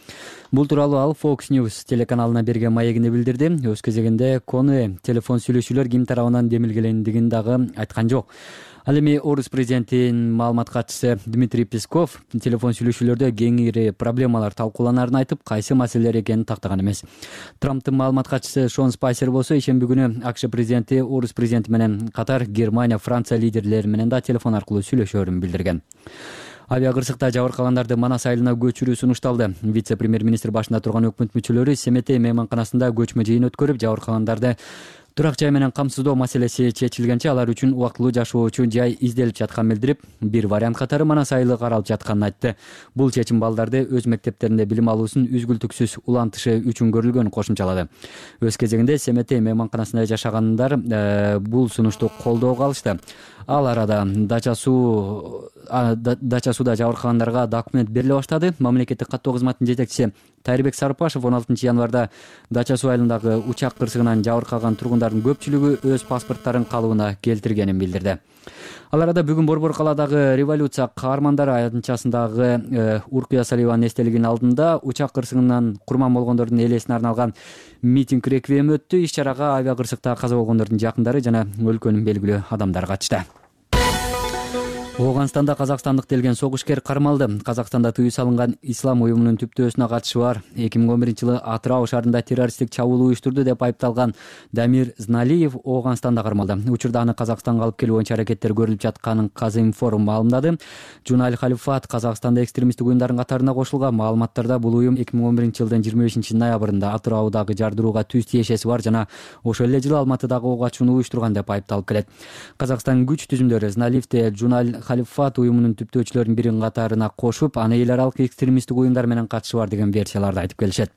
Бул тууралуу ал Fox News телеканалына берген маегинде билдирди. Өз кезегинде Кони телефон сүйлөшүүлөр ким тарабынан демилгелендигин дагы айткан жок. Ал эми Орус президентинин маалымат катчысы Дмитрий Песков телефон сүйлөшүүлөрдө кеңири проблемалар талкууланарын айтып, кайсы маселелер экенин тактаган эмес. Трамптын маалымат катчысы Шон Спайсер болсо ишемби күнү АКШ президенти Орус президенти менен катар Германия, Франция лидерлери менен да телефон аркылуу сүйлөшөөрүн билдирген. Авиакырсыкта жабыркаганарды Манас айылына көчүрүү сунушталды. Вице-премьер-министр башында турган өкмөт мүчөлөрү Семетей мейманканасында көчмө жыйын өткөрүп, жабыркагандарды турак жай менен камсыздоо маселеси чечилгенче алар үчүн убактылуу жашоо үчүн жай изделип жатканын билдирип, бир вариант катары Манас айылы каралып жатканын айтты. Бул чечим балдарды өз мектептеринде билим алуусун үзгүлтүксүз улантышы үчүн көрүлгөнүн кошумчалады. Өз кезегинде Семетей мейманканасында жашагандар бул сунушту колдоого алышты. Ал арада Дача сууда жабыркагандарга документ бериле баштады. Мамлекеттик каттоо кызматынын жетекчиси Тайырбек Сарпашев 16 январда Дача суу айылындагы учак кырсыгынан жабыркаган тургундардын көпчүлүгү өз паспорттарын калыбына келтиргенин билдирди. Ал арада бүгүн Борбор калаадагы революция каармандары аянтчасындагы Уркуя Салиеванын эстелигинин алдында учак кырсыгынан курман болгондордун элесине арналган митинг реквием өттү. Иш-чарага авиакырсыкта каза болгондордун жакындары жана өлкөнүн белгилүү адамдары катышты. Ооганстанда казакстандык делген согушкер кармалды. Казакстанда тыюу салынган ислам уюмунун түптөөсүнө катышы бар 2011-жылы Атырау шаарында террористтик чабуул уюштурду деп айыпталган Дамир Зналиев Ооганстанда кармалды. Учурда аны Казакстанга алып келүү боюнча аракеттер көрүлүп жатканын Казинформ маалымдады. Жуналь Халифат Казакстанда экстремисттик уюмдардын катарына кошулган. Маалыматтарда бул уюм 2011-жылдын 25 ноябрында Атыраугадагы жардырууга түз тиешеси бар жана ошол эле жылы Алматыдагы ок ачууну уюштурган деп айыпталып келет. Казакстан күч түзүмдөрү Зналиевди Жуналь Халифат уюмунун түптөөчүлөрүнүн биринин катарына кошуп, аны эл аралык экстремисттик уюмдар менен катышы бар деген версияларды айтып келишет.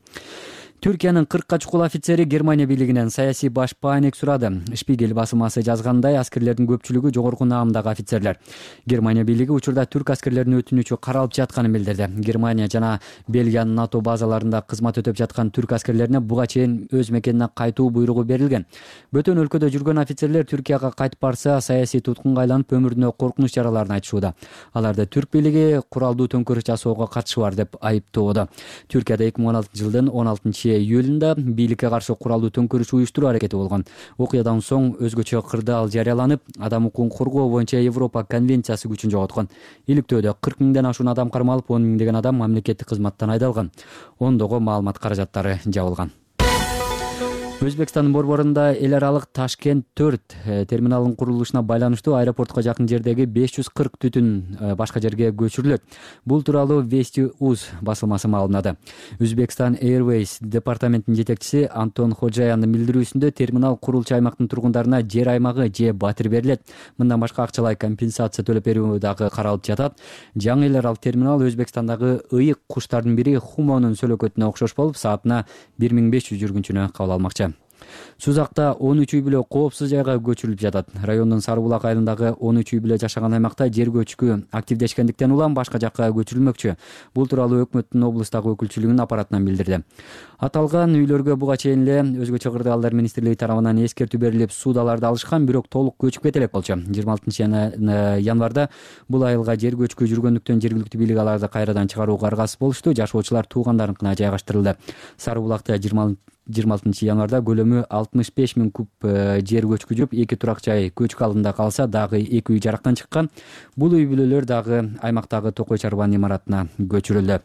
Түркиянын 40 чукул офицери Германия бийлигинен саясий баш баанек сурады. Шпигель басылмасы жазгандай, аскерлердин көпчүлүгү жогорку наамдагы офицерлер. Германия бийлиги учурда түрк аскерлеринин өтүнүчү каралып жатканын билдирди. Германия жана Бельгиянын НАТО базаларында кызмат өтөп жаткан түрк аскерлерине буга чейин өз мекенине кайтуу буйругу берилген. Бөтөн өлкөдө жүргөн офицерлер Түркияга кайтып барса, саясий туткунга айланып өмүрүнө коркунуч жараларын айтышууда. Аларды түрк бийлиги куралдуу төңкөрүш жасоого катышы бар деп айыптоодо. Түркияда 2016 жылдын 16 июлунда бийликке каршы куралдуу төңкөрүш уюштуруу аракети болгон. Окуядан соң өзгөчө кырдаал жарыяланып, адам укугун коргоо боюнча Европа конвенциясы күчүн жоготкон. Иликтөөдө 40 миңден ашуун адам кармалып, 10 миңдеген адам мамлекеттик кызматтан айдалган. Ондогу маалымат каражаттары жабылган. Өзбекстандын борборунда эл аралык Ташкент 4 терминалынын курулушуна байланыштуу аэропортко жакын жердеги 540 түтүн башка жерге көчүрүлөт. Бул тууралуу Вести.уз басылмасы маалымдады. Uzbekistan Airways департаментинин жетекчиси Антон Ходжаяндын билдирүүсүндө терминал курулчу аймактын тургундарына жер аймагы же батир берилет. Мындан башка акчалай компенсация төлөп берүү дагы каралып жатат. Жаңы эл аралык терминал Өзбекстандагы ыйык куштардын бири Хумонун сөлөкөтүнө окшош болуп, саатына 1500 жүргүнчүнү кабыл алмакчы. Сузакта 13 үй бүлө коопсуз жайга көчүрүлүп жатат. Райондун Сарыбулак айылындагы 13 үй бүлө жашаган аймакта жер көчкү активдешкендиктен улам башка жакка көчүрүлмөкчү. Бул тууралуу өкмөттүн облустагы өкүлчүлүгүнүн аппаратынан билдирди. Аталган үйлөргө буга чейин эле өзгөчө кырдаалдар министрлиги тарабынан эскертүү берилип, суудаларды алышкан, бирок толук көчүп кете элек болчу. 26 январда бул айылга жер көчкү жүргөндүктөн жергиликтүү бийлик аларды кайрадан чыгарууга аргасыз болушту. Жашоочулар туугандарыныкына жайгаштырылды. Сарыбулакта 26 январда көлөмү 65 миң куб жер көчкү жүрүп, 2 турак жай көчкү алдында калса, дагы 2 үй жарактан чыккан. Бул үй бүлөлөр дагы аймактагы Токой чарбанын имаратына көчүрүлдү.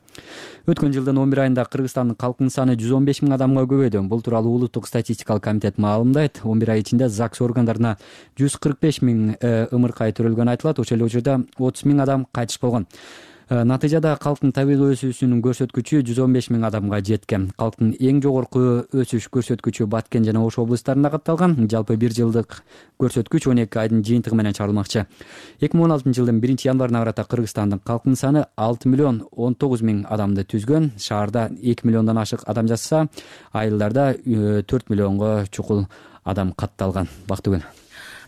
Өткөн жылдын 11 айында Кыргызстандын калкынын саны 115 миң адамга көбөйдү. Бул тууралуу Улуттук статистикалык комитет маалымдайт. 11 ай ичинде ЗАГС органдарына 145 миң ымыркай төрөлгөнү айтылат. Ошол эле учурда 30 миң адам кайтыш болгон. Натыйжада калктын табигый өсүүсүнүн көрсөткүчү 115 миң адамга жеткен. Калктын эң жогорку өсүш көрсөткүчү Баткен жана Ош облустарында катталган. Жалпы 1 жылдык көрсөткүч 12 айдын жыйынтыгы менен чыгарылмакчы. 2016 жылдын 1 январына карата Кыргызстандын калкынын саны 6 миллион 19 миң адамды түзгөн. Шаарда 2 миллиондон ашык адам жашаса, айылдарда 4 миллионго чукул адам катталган. Бактыгүн.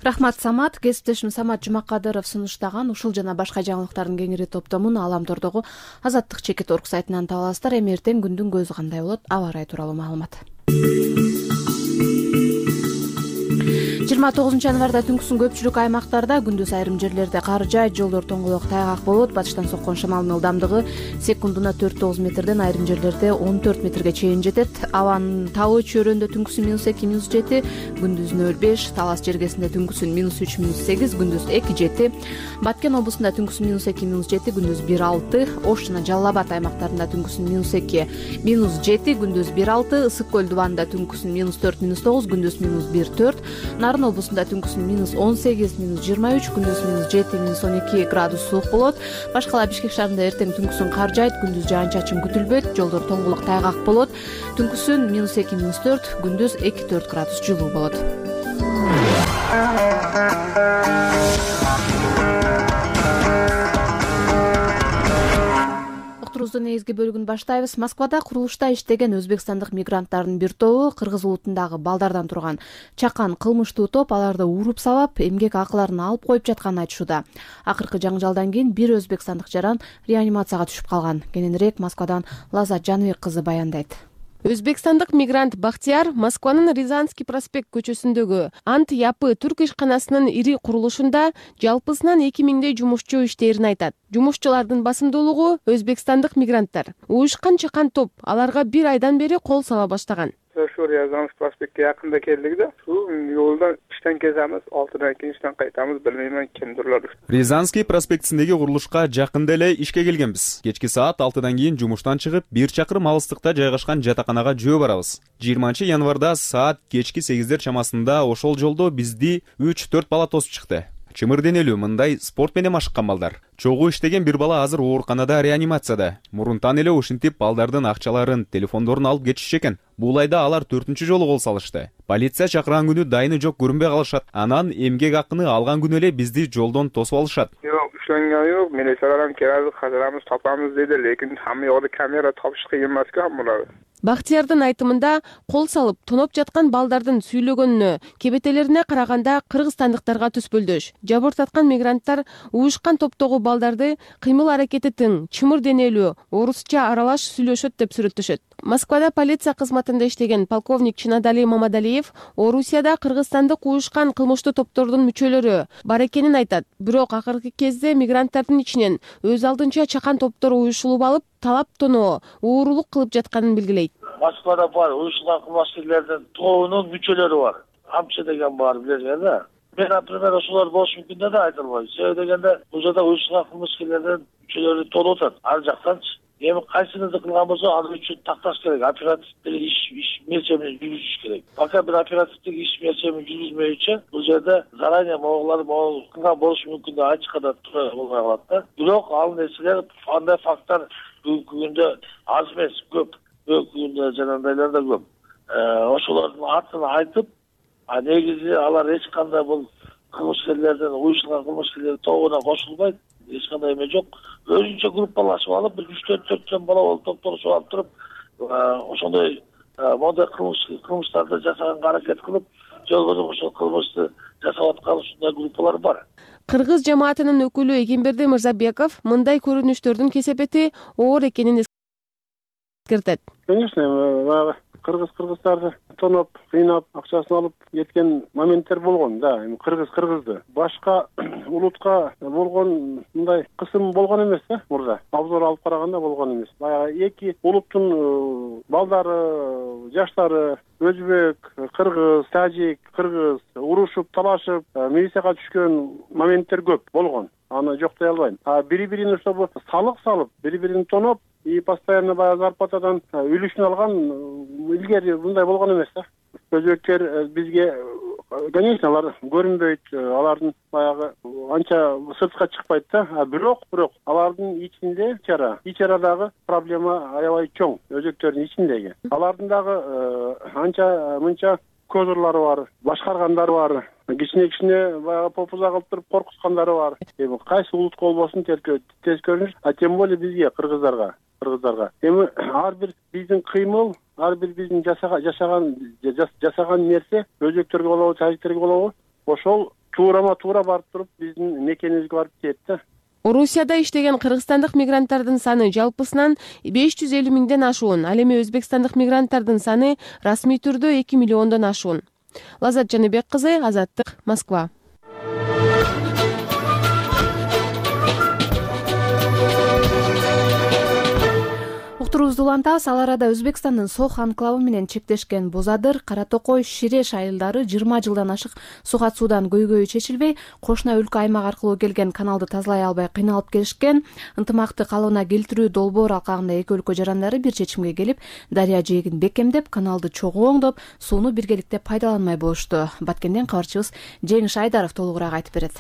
Рахмат, Самат. Кесиптешим Самат Жумакадыров сунуштаган ушул жана башка жаңылыктардын кеңири топтомун Аламтордогу Азаттык чекит орг сайтынан таба аласыздар. Эми эртең күндүн көзү кандай болот? Аба ырайы тууралуу маалымат. 29 январда түнкүсүн көпчүлүк аймактарда, күндүз айрым жерлерде кар жаайт, жолдор тоңголок тайгак болот. Батыштан соккон шамалдын ылдамдыгы секундуна 4-9 метрден, айрым жерлерде 14 метрге чейин жетет. Абанын табы чөйрөндө түнкүсүн -2, -7, күндүз 0,5, Талас жергесинде түнкүсүн -3, -8, күндүз 2,7, Баткен облусунда түнкүсүн -2, -7, күндүз 1,6, Ош жана Жалал Абад аймактарында түнкүсүн -2, -7, күндүз 1,6, Ысык көл дубанында түнкүсүн -4, -9, күндүз -1,4, Нарын облусунда түнкүсүн -18, -23, күндүз -7, -12 градус суук болот. Башкала Бишкек шаарында эртең түнкүсүн кар жаайт, күндүз жаан-чачын күтүлбөйт, жолдор тоңголок тайгак болот. Түнкүсүн -2, -4, күндүз 2-4 градус жылуу болот. Негизги бөлүгүн баштайбыз. Москвада курулушта иштеген өзбекстандык мигранттардын бир тобу кыргыз улутундагы балдардан турган чакан кылмыштуу топ аларды уруп сабап, эмгек акыларын алып коюп жатканын айтышууда. Акыркы жаңжалдан кийин бир өзбекстандык жаран реанимацияга түшүп калган. Кененирээк Москвадан Лазат Жаныбек кызы баяндайт. Өзбекстандык мигрант Бактияр Москванын Рязанский проспект көчөсүндөгү Ант Япы түрк ишканасынын ири курулушунда жалпысынан 2000дей жумушчу иштээрин айтат. Жумушчулардын басымдуулугу өзбекстандык мигранттар. Уюшкан чакан топ аларга 1 айдан бери кол сала баштаган. Ошо Рязанский проспектке якында келдик да. Ушул жолдон иштен кетебиз, 6-дан кийин иштен кайтабыз, билбеймин кимдирлер. Рязанский проспектисиндеги курулушка жакында эле ишке келгенбиз. Кечки саат 6-дан кийин жумуштан чыгып, 1 чакырым алыстыкта жайгашкан жатаканага жөө барабыз. 20 январда саат кечки 8дер чамасында ошол жолдо бизди 3-4 бала тосуп чыкты. Чымыр денелүү мындай спорт менен машыккан балдар. Чогуу иштеген бир бала азыр ооруканада реанимацияда. Мурунтан эле ушинтип балдардын акчаларын, телефондорун алып кетишчү экен. Бул айда алар 4-чү жолу кол салышты. Полиция чакырган күнү дайыны жок көрүнбөй калышат. Анан эмгек акыны алган күнү эле бизди жолдон тосуп алышат. Жок, ишенгени жок. Милициялардан келип казырамыз, тапамыз деди, лекин хамма жакта камера тапыш кыйын эмес-ка булар. Бактиярдын айтымында кол салып тоноп жаткан балдардын сүйлөгөнүнө, кебетелерине караганда кыргызстандыктарга түспөлдөш. Жабыртаткан мигранттар уюшкан топтогу балдарды кыймыл аракети тың, чымыр денелүү, орусча аралаш сүйлөшөт деп сүрөттөшөт. Москвада полиция кызматында иштеген полковник Чинадали Мамадалиев Орусияда кыргызстандык уюшкан кылмыштуу топтордун мүчөлөрү бар экенин айтат. Бирок акыркы кезде мигранттардын ичинен өз алдынча чакан топтор уюшулуп алып, талап тоноо, уурулук кылып жатканын белгилейт. Москвада бар уюшулган кылмышкерлердин тобунун мүчөлөрү бар. Амчы деген бар билесиңер да. Мен, например, ошолор болушу мүмкүн деп айта албайм. Себеби дегенде бул жерде уюшулган кылмышкерлердин мүчөлөрү толуп атат. Ар жактанчы. Эми кайсынысы кылган болсо ал үчүн такташ керек. Оперативдик иш мерчемин жүргүзүш керек. Пока бир оперативдик иш мерчемин жүргүзмөйүнчө бул жерде заранее могулар кылган болушу мүмкүн деп ачыккада тура болбой калат да. Бирок ал нерселер, андай факттар бүгүнкү күндө аз эмес, көп. Бүгүнкү күндө жанагындайлар да көп. Ошолордун атын айтып, негизи алар эч кандай бул кылмышкерлердин, уюшулган кылмышкерлердин тобуна кошулбайт. Эч кандай эме жок. Өзүнчө группалашып алып, бир 3-4 бала болуп топтолушуп алып туруп, ошондой мондай кылмыштарды жасаганга аракет кылып, жолбош ошол кылмышты жасап аткан ушундай группалар бар. Кыргыз жамаатынын өкүлү Эгемберди Мырзабеков мындай көрүнүштөрдүн кесепети оор экенин эскертет. Конечно, баягы кыргыздарды тоноп, кыйнап, акчасын алып кеткен моменттер болгон да. Эми кыргызды. Башка улутка болгон мындай кысым болгон эмес да, мурда. Обзор алып караганда болгон эмес. Баягы эки улуттун балдары, жаштары, өзбек, кыргыз, тажик, кыргыз урушуп, талашып, милицияга түшкөн моменттер көп болгон. Аны жоктой албайм. Бири-бирин ошо салык салып, бири-бирин тоноп, и постоянно баягы зарплатадан үлүшүн алган илгери мындай болгон эмес да. Өзбектер бизге, конечно, алар көрүнбөйт, алардын баягы анча сыртка чыкпайт да. Бирок алардын ичинде ичарадагы проблема аябай чоң. Өзбектердин ичиндеги. Алардын дагы анча мынча козурлары бар, башкаргандары бар. Кичине баягы попуза кылып туруп коркуткандары бар. Эми кайсы улутка болбосун тез көрүнүш, тем более бизге кыргыздарга. Эми ар бир биздин кыймыл, ар бир биздин жашаган нерсе өзбектерге болобу, тажиктерге болобу, ошол туура барып туруп биздин мекенибизге барып тиет да. Орусияда иштеген кыргызстандык мигранттардын саны жалпысынан 550 миңден ашуун, ал эми өзбекстандык мигранттардын саны расмий түрдө 2 миллиондон ашуун. Лазат Жаныбек кызы, Азаттык, Москва. Уктуруубузду улантабыз. Ал арада Өзбекстандын Сох анклавы менен чектешкен Бозадыр, Кара Токой, Ширеш айылдары 20 жылдан ашык сугат суудан көйгөйү чечилбей, кошуна өлкө аймак аркылуу келген каналды тазалай албай кыйналып келишкен. Ынтымакты калыбына келтирүү долбоор алкагында эки өлкө жарандары бир чечимге келип, дарыя жээгин бекемдеп, каналды чогуу оңдоп, сууну биргеликте пайдаланмай болушту. Баткенден кабарчыбыз Жеңиш Айдаров толугураак айтып берет.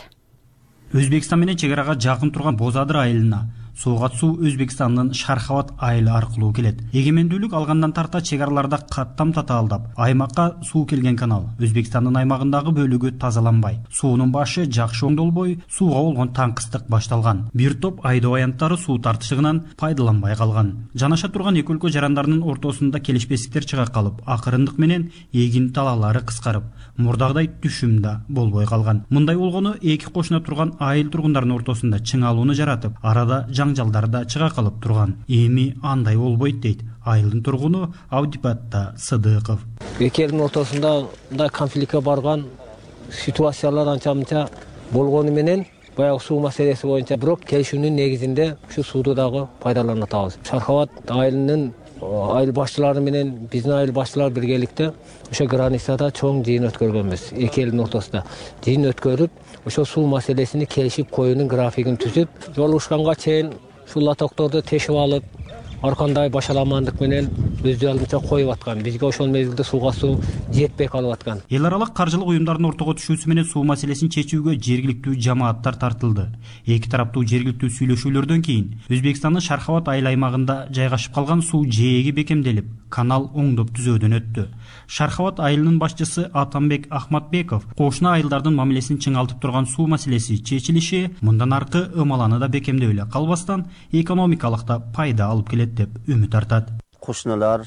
Өзбекстан менен чек арага жакын турган Бозадыр айылына суугат суу Өзбекстандын Шархават айылы аркылуу келет. Эгемендүүлүк алгандан тарта чек араларда каттам татаалдап, аймакка суу келген канал Өзбекстандын аймагындагы бөлүгү тазаланбай, суунун башы жакшы оңдолбой, сууга болгон таңкыстык башталган. Бир топ айдоо аянттары суу тартышыгынан пайдаланбай калган. Жанаша турган эки өлкө жарандарынын ортосунда келишпестиктер чыга калып, акырындык менен эгин талаалары кыскарып, мурдагыдай түшүм да болбой калган. Мындай болгону эки кошуна турган айыл тургундарынын ортосунда чыңалууну жаратып, арада жаңжалдар да чыга калып турган. Эми андай болбойт дейт айылдын тургуну Абдипатта Сыдыков. Эки элдин ортосунда мындай конфликтке барган ситуациялар анча-мынча болгону менен баягы суу маселеси боюнча бирок келишүүнүн негизинде ушу сууду дагы пайдалана атабыз. Шархават айылынын айыл башчылары менен биздин айыл башчылар биргеликте ошо границада чоң жыйын өткөргөнбүз. Эки элдин ортосунда жыйын өткөрүп, ошо суу маселесини келишип коюунун графигин түзүп, жолугушканга чейин ушул лотокторду тешип алып, аркандай башаламандык менен өз алдынча коюп аткан. Бизге ошол мезгилде сууга суу жетпей калып аткан. Эл аралык каржылык уюмдардын ортого түшүүсү менен суу маселесин чечүүгө жергиликтүү жамааттар тартылды. Эки тараптуу жергиликтүү сүйлөшүүлөрдөн кийин Өзбекстандын Шархават айыл аймагында жайгашып калган суу жээги бекемделип, канал оңдоп түзөөдөн өттү. Шархават айылынын башчысы Атамбек Ахматбеков кошуна айылдардын мамилесин чыңалтып турган суу маселеси чечилиши мындан аркы ымаланы да бекемдеп эле калбастан экономикалык да пайда алып келет деп үмүт артат. Кошуналар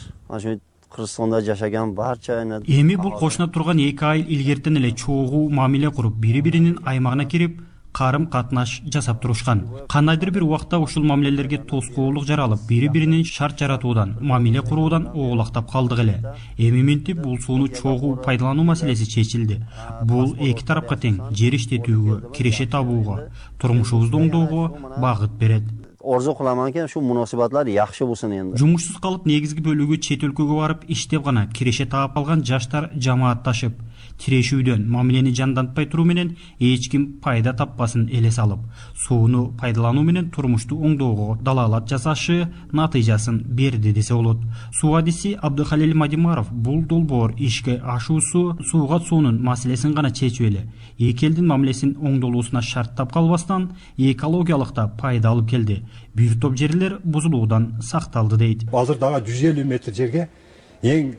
Кыргызстанда жашаган барча эми бул кошуна турган эки айыл илгертен эле чогуу мамиле куруп, бири-биринин аймагына кирип, карым катнаш жасап турушкан. Кандайдыр бир убакта ушул мамилелерге тоскоолдук жаралып, бири-биринин шарт жаратуудан, мамиле куруудан оолактап калдык эле. Эми минтип бул сууну чогуу пайдалануу маселеси чечилди. Бул эки тарапка тең жер иштетүүгө, киреше табууга, турмушубузду оңдоого багыт берет. орзу кыламан экен, ушу мунасибатлар жакшы болсун эми. Жумушсуз калып негизги бөлүгү чет өлкөгө барып иштеп гана киреше таап алган жаштар жамаатташып тирешүүдөн мамилени жандантпай туруу менен эч ким пайда таппасын элес алып, сууну пайдалануу менен турмушту оңдоого далаалат жасашы натыйжасын берди десе болот. Суу адиси Абдыхалил Мадимаров бул долбоор ишке ашуусу сууга суунун маселесин гана чечип эле эки элдин мамилесин оңдолуусуна шарттап калбастан экологиялык да пайда алып келди. Бир топ жерлер бузулуудан сакталды дейт. Азыр дагы 150 метр жерге эң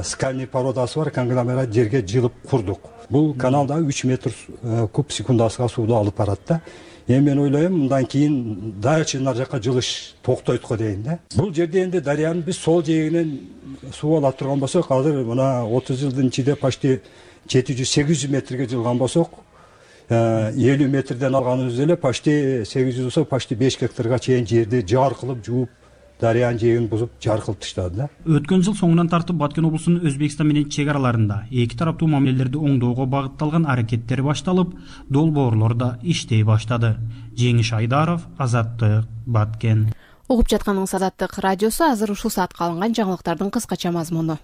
скальный породасы бар конгломерат жерге жылып курдук. Бул каналда 3 метр куб секундасына сууду алып барат да. Эми мен ойлойм, мындан кийин дальше нар жака жылыш токтойт го дейин да. Бул жерде энди дарыянын биз сол жээгинен суу ала турган болсок, азыр мына 30 жылдын ичинде почти 700-800 метрге жылган болсок, 50 метрден алганыбыз эле почти 800 болсо, почти 5 гектарга чейин жерди жаар кылып жууп, дарыянын жээгин бузуп жаар кылып таштады да. Өткөн жыл соңунан тартып Баткен облусунун Өзбекстан менен чек араларында эки тараптуу мамилелерди оңдоого багытталган аракеттер башталып, долбоорлор да иштей баштады. Жеңиш Айдаров, Азаттык, Баткен. Угуп жатканыңыз Азаттык радиосу. Азыр ушул саатка алынган жаңылыктардын кыскача мазмуну.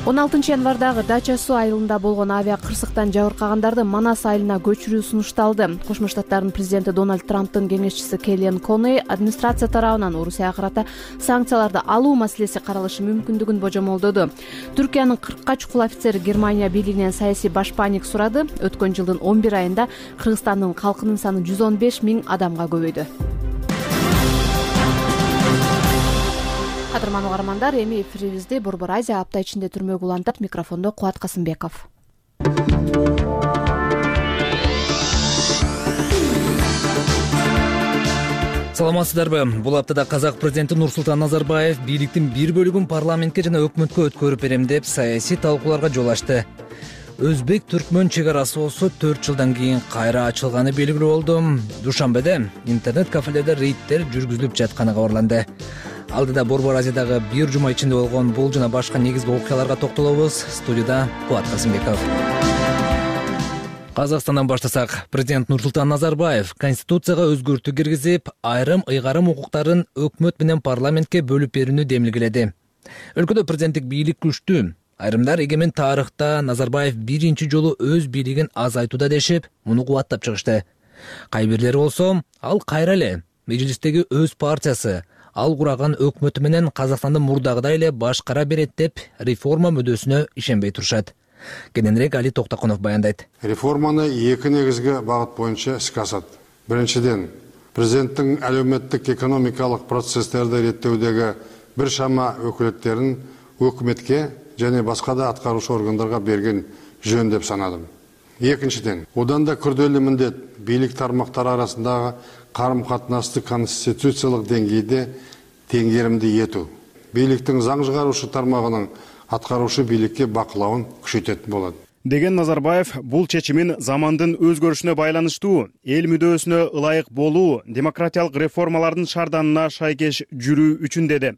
16 январдагы Дача суу айылында болгон авиа кырсыктан жабыркагандарды Манас айылына көчүрүү сунушталды. Кошмо Штаттардын президенти Дональд Трамптын кеңешчиси Келлиан Коней администрация тарабынан Орусияга карата санкцияларды алуу маселеси каралышы мүмкүндүгүн божомолдоду. Түркиянын 40 чукул офицери Германия бийлигинен саясий башпаанник сурады. Өткөн жылдын 11 айында Кыргызстандын калкынын саны 115 000 адамга көбөйдү. Кадырман угармандар, эми эфирибизди Борбор Азия апта ичинде түрмөгө улантат. Микрофондо Кубат Касымбеков. Саламатсыздарбы? Бул аптада казак президенти Нурсултан Назарбаев бийликтин бир бөлүгүн парламентке жана өкмөткө өткөрүп берем деп саясий талкууларга жол ачты. Өзбек-түркмөн чек арасы болсо 4 жылдан кийин кайра ачылганы белгилүү болду. Душанбеде интернет кафелерде рейдтер жүргүзүлүп жатканы кабарланды. Алдыда Борбор Азиядагы бир жума ичинде болгон бул жана башка негизги окуяларга токтолобуз. Студияда Кубат Касымбеков. Казакстандан баштасак, президент Нурсултан Назарбаев Конституцияга өзгөртүү киргизип, айрым ыйгарым укуктарын өкмөт менен парламентке бөлүп берүүнү демилгеледи. Өлкөдө президенттик бийлик күчтүү. Айрымдар эгемен тарыхта Назарбаев биринчи жолу өз бийлигин азайтууда дешип, муну кубаттап чыгышты. Кайбирлери болсо, ал кайра эле межлистеги өз партиясы, ал кураган өкмөтү менен Казакстанды мурдагыдай эле башкара берет деп реформа мүдөсүнө ишенбей турушат. Кененирээк Али Токтакунов баяндайт. Реформаны эки негизги багыт боюнча ишке асат. Биринчиден, президенттин әлеуметтик экономикалык процесстерди реттөөдөгү бир шама өкүлөттөрүн өкмөткө және башка да аткаруучу органдарга берген жөн деп санадым. Экинчиден, одан да күрдөлүү міндет бийлик тармактары арасындагы карым-катнашты конституциялык деңгейде теңгеримди этүү. Бийликтин заң чыгаруучу тармагынын аткаруучу бийликке бакылауын күчөтөт болот. Деген Назарбаев бул чечимин замандын өзгөрүшүнө байланыштуу, эл мүдөөсүнө ылайык болуу, демократиялык реформалардын шарданына шайкеш жүрүү үчүн деди.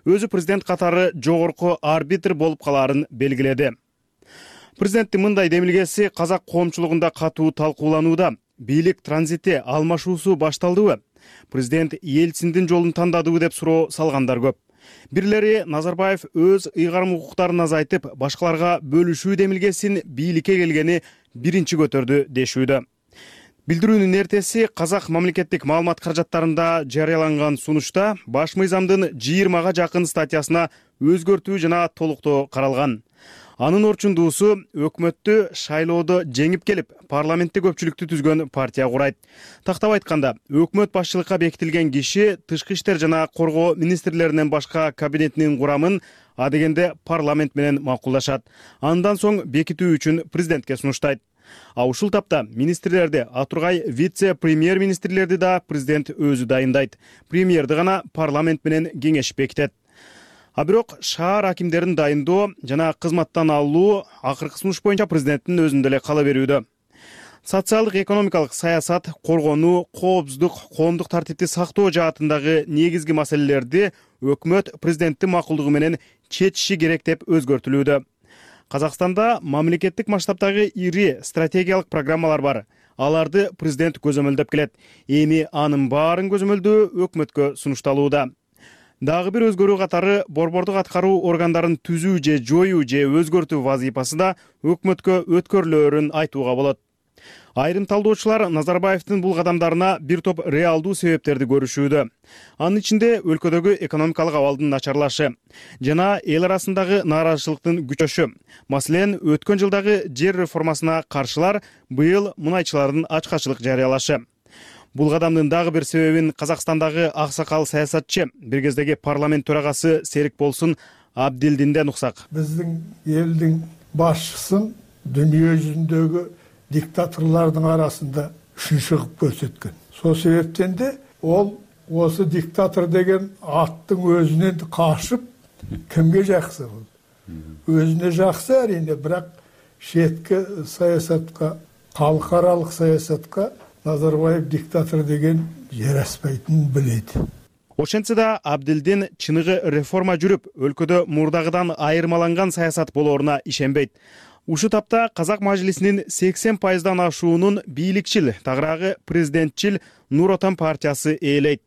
Өзү президент катары жогорку арбитр болуп калаарын белгиледи. Президенттин мындай демилгеси казак коомчулугунда катуу талкууланууда. Бийлик транзити алмашуусу башталдыбы? Президент Ельциндин жолун тандадыбы деп суроо салгандар көп. Бирлери Назарбаев өз ыйгарым укуктарын азайтып, башкаларга бөлүшүү демилгесин бийликке келгени биринчи көтөрдү дешүүдө. Билдирүүнүн эртеси казак мамлекеттик маалымат каражаттарында жарыяланган сунушта баш мыйзамдын 20га жакын статьясына өзгөртүү жана толуктоо каралган. Анын орчундуусу өкмөттү шайлоодо жеңип келип, парламентте көпчүлүктү түзгөн партия курайт. Тактап айтканда, өкмөт башчылыкка бекитилген киши тышкы иштер жана коргоо министрлеринен башка кабинетинин курамын адегенде парламент менен макулдашат. Андан соң бекитүү үчүн президентке сунуштайт. А ушул тапта министрлерди, атургай вице-премьер-министрлерди да президент өзү дайындайт. Премьерди гана парламент менен кеңеш бекитет. А бирок шаар акимдерин дайындоо жана кызматтан алуу акыркы сунуш боюнча президенттин өзүндө эле кала берүүдө. Социалдык экономикалык саясат, коргонуу, коопсуздук, коомдук тартипти сактоо жаатындагы негизги маселелерди өкмөт президенттин макулдугу менен чечиши керек деп өзгөртүлүүдө. Казакстанда мамлекеттик масштабдагы ири стратегиялык программалар бар. аларды президент көзөмөлдөп келет. Эми анын баарын көзөмөлдөө өкмөткө сунушталууда. Дагы бир өзгөрүү катары борбордук аткаруу органдарын түзүү же жоюу же өзгөртүү вазыйпасы да өкмөткө өткөрүлөөрүн айтууга болот. Айрым талдоочулар Назарбаевдин бул кадамдарына бир топ реалдуу себептерди көрүшүүдө. Анын ичинде өлкөдөгү экономикалык абалдын начарлашы жана эл арасындагы нааразычылыктын күчөшү. Маселен, өткөн жылдагы жер реформасына каршылар быйыл мунайчылардын ачкачылык жарыялашы. Бул кадамдын дагы бир себебин Казакстандагы аксакал саясатчы, бир кездеги парламент төрагасы Серик Болсун Абдилдинден уксак. Биздин элдин башчысын дүйнө жүзүндөгү диктаторлордун арасында үчүнчү кылып көрсөткөн. Сол себептен де ол осы диктатор деген аттың өзүнөн кашып кимге жаксы бул? Өзүнө жаксы әрине, бирок шетки саясатка, калкаралык саясатка Назарбаев диктатор деген жараспайтынын билет. Ошентсе да Абдилдин чыныгы реформа жүрүп, өлкөдө мурдагыдан айырмаланган саясат болооруна ишенбейт. Ушу тапта Казак мажлисинин 80%дан ашуунун бийликчил, тагыраагы президентчил Нур Отан партиясы ээлейт.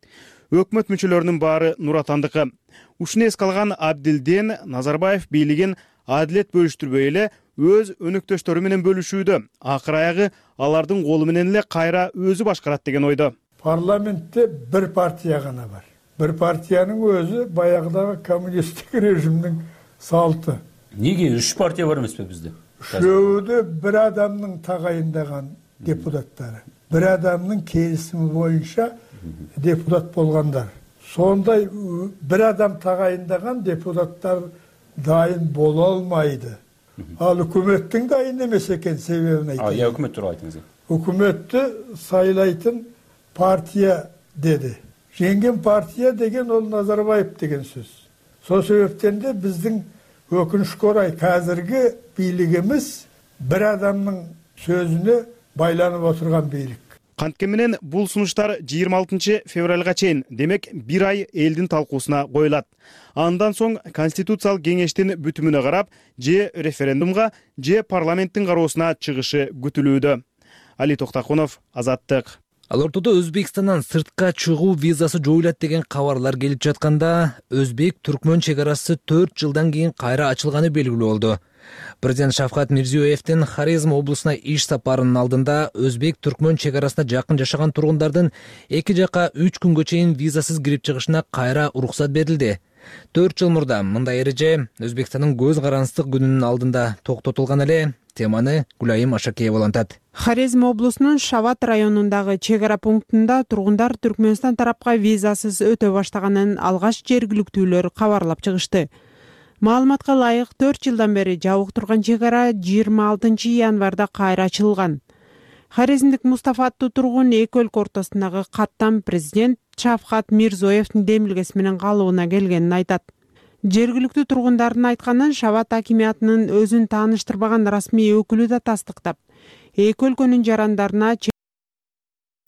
Өкмөт мүчөлөрүнүн баары Нур Отандыкы. Ушуну эске алган Абдилдин Назарбаев бийлигин адилет бөлүштүрбөй эле өз өнөктөштөрү менен бөлүшүүдө. Акыр аягы алардын колу менен эле кайра өзү башкарат деген ойдо. Парламентте бир партия гана бар. Бир партиянын өзү баягыдагы коммунисттик режимдин салты. Неге 3 партия бар эмеспи бизде? Үшөөдө бир адамдын тагайындаган депутаттары, бир адамдын келисими боюнча депутат болгондар. Сондай бир адам тагайындаган депутаттар дайын боло албайды. Ал өкмөттүн дайын эмес экен, себебин айтайын. Я өкмөт тууралуу айтыңыз. Өкмөттү сайлайтын партия деди. Жеңген партия деген ол Назарбаев деген сөз. Сол себептен де биздин өкүнүшкө орай казыркы бийлигimiz бир адамдын сөзүнө байланып отурган бийлик. Кантке менен бул сунуштар 26 февралга чейин, демек бир ай элдин талкуусуна коюлат. Андан соң Конституциялык кеңештин бүтүмүнө карап, же референдумга, же парламенттин кароосуна чыгышы күтүлүүдө. Али Токтакунов, Азаттык. Ал ортодо Өзбекстандан сыртка чыгуу визасы жоюлат деген кабарлар келип жатканда, Өзбек-Түркмөн чек арасы 4 жылдан кийин кайра ачылганы белгилүү болду. Президент Шавкат Мирзиёевдин Хорезм облусуна иш сапарынын алдында Өзбек-Түркмөн чек арасында жакын жашаган тургундардын эки жака 3 күнгө чейин визасыз кирип чыгышына кайра уруксат берилди. 4 жыл мурда мындай эреже Өзбекстандын көз карандык күнүнүн алдында токтотулган эле. Теманы Гулайым Ашакеева улантат. Хорезм облусунун Шават районундагы чек ара пунктунда тургундар Түркмөнстан тарапка визасыз өтө баштаганын алгач жергиликтүүлөр кабарлап чыгышты. Маалыматка ылайык 4 жылдан бери жабык турган чек ара 26 январда кайра ачылган. Хорезмдик Мустафа аттуу тургун эки өлкө ортосундагы каттам президент Шавкат Мирзиёевдин демилгеси менен калыбына келгенин айтат. Жергиликтүү тургундардын айтканын Шават акимиятынын өзүн тааныштырбаган расмий өкүлү да тастыктап, эки өлкөнүн жарандарына чек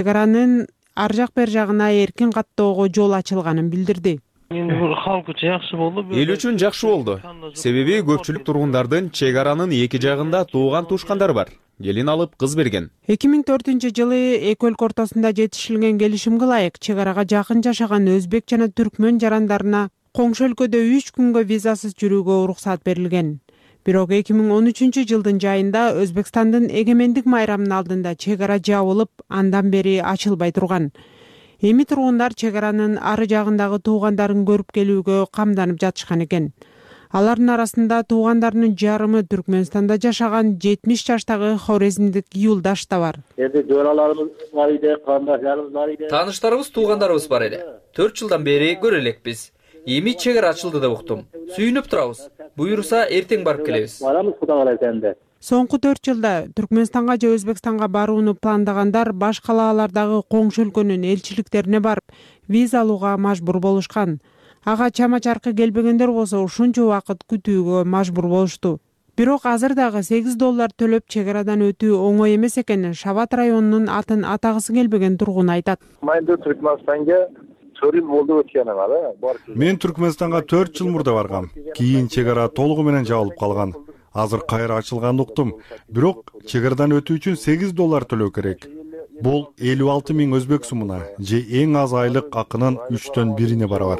аранын ар жак бер жагына эркин каттоого жол ачылганын билдирди. Эми бул халк үчүн жакшы болду. Эл үчүн жакшы болду. Себеби көпчүлүк тургундардын чек аранын эки жагында тууган туушкандары бар. Келин алып кыз берген. 2004-жылы эки өлкө ортосунда жетишилген келишимге ылайык чек арага жакын жашаган өзбек жана түркмөн жарандарына коңшу өлкөдө 3 күнгө визасыз жүрүүгө уруксат берилген. Бирок 2013 жылдын жайында Өзбекстандын эгемендик майрамынын алдында чек ара жабылып, андан бери ачылбай турган. Эми тургундар чек аранын ары жагындагы туугандарын көрүп келүүгө камданып жатышкан экен. Алардын арасында туугандарынын жарымы Түркмөнстанда жашаган 70 жаштагы хорезмдик юлдаш да бар. Жораларыбыз бар иде, кандашдарыбыз бар иде. Тааныштарыбыз, туугандарыбыз бар эле. 4 жылдан бери көрө элекпиз. Эми чек ара ачылды деп уктум. Сүйүнүп турабыз. Буюрса эртең барып келебиз. Барамыз, Кудай кааласа энди. Соңку 4 жылда Түркмөнстанга же Өзбекстанга барууну пландагандар баш калаалардагы коңшу өлкөнүн элчиликтерине барып, виза алууга мажбур болушкан. Ага чама чаркы келбегендер болсо ушунча убакыт күтүүгө мажбур болушту. Бирок азыр дагы $8 төлөп чек арадан өтүү оңой эмес экенин Шават районунун атын атагысы келбеген тургун айтат. Мен Түркмөнстанга 4 жыл болду өткөнүм ала. Мен Түркмөнстанга 4 жыл мурда баргам. Кийин чек ара толугу менен жабылып калган. Азыр кайра ачылганын уктум. Бирок чек арадан өтүү үчүн $8 төлөө керек. Бул 56 000 өзбек сумуна же эң аз айлык акынын 3төн 1-ине барабар.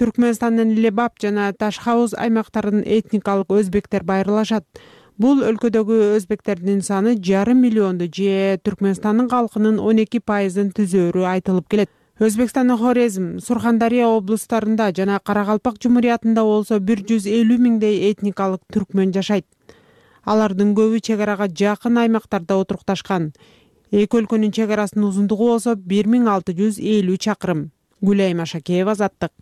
Түркмөнстандын Лебап жана Ташхауз аймактарынын этникалык өзбектер байырлашат. Бул өлкөдөгү өзбектердин саны 5,5 миллионду же Түркмөнстандын калкынын 12%-ын түзөөрү айтылып келет. Өзбекстандын Хорезм, Сурхандария облустарында жана Каракалпак Жумуриятында болсо 150 000 этникалык түркмөн жашайт. Алардын көбү чек арага жакын аймактарда отурукташкан. Эки өлкөнүн чек арасынын узундугу болсо 1650 чакырым. Гүлайым Ашакеева, Азаттык.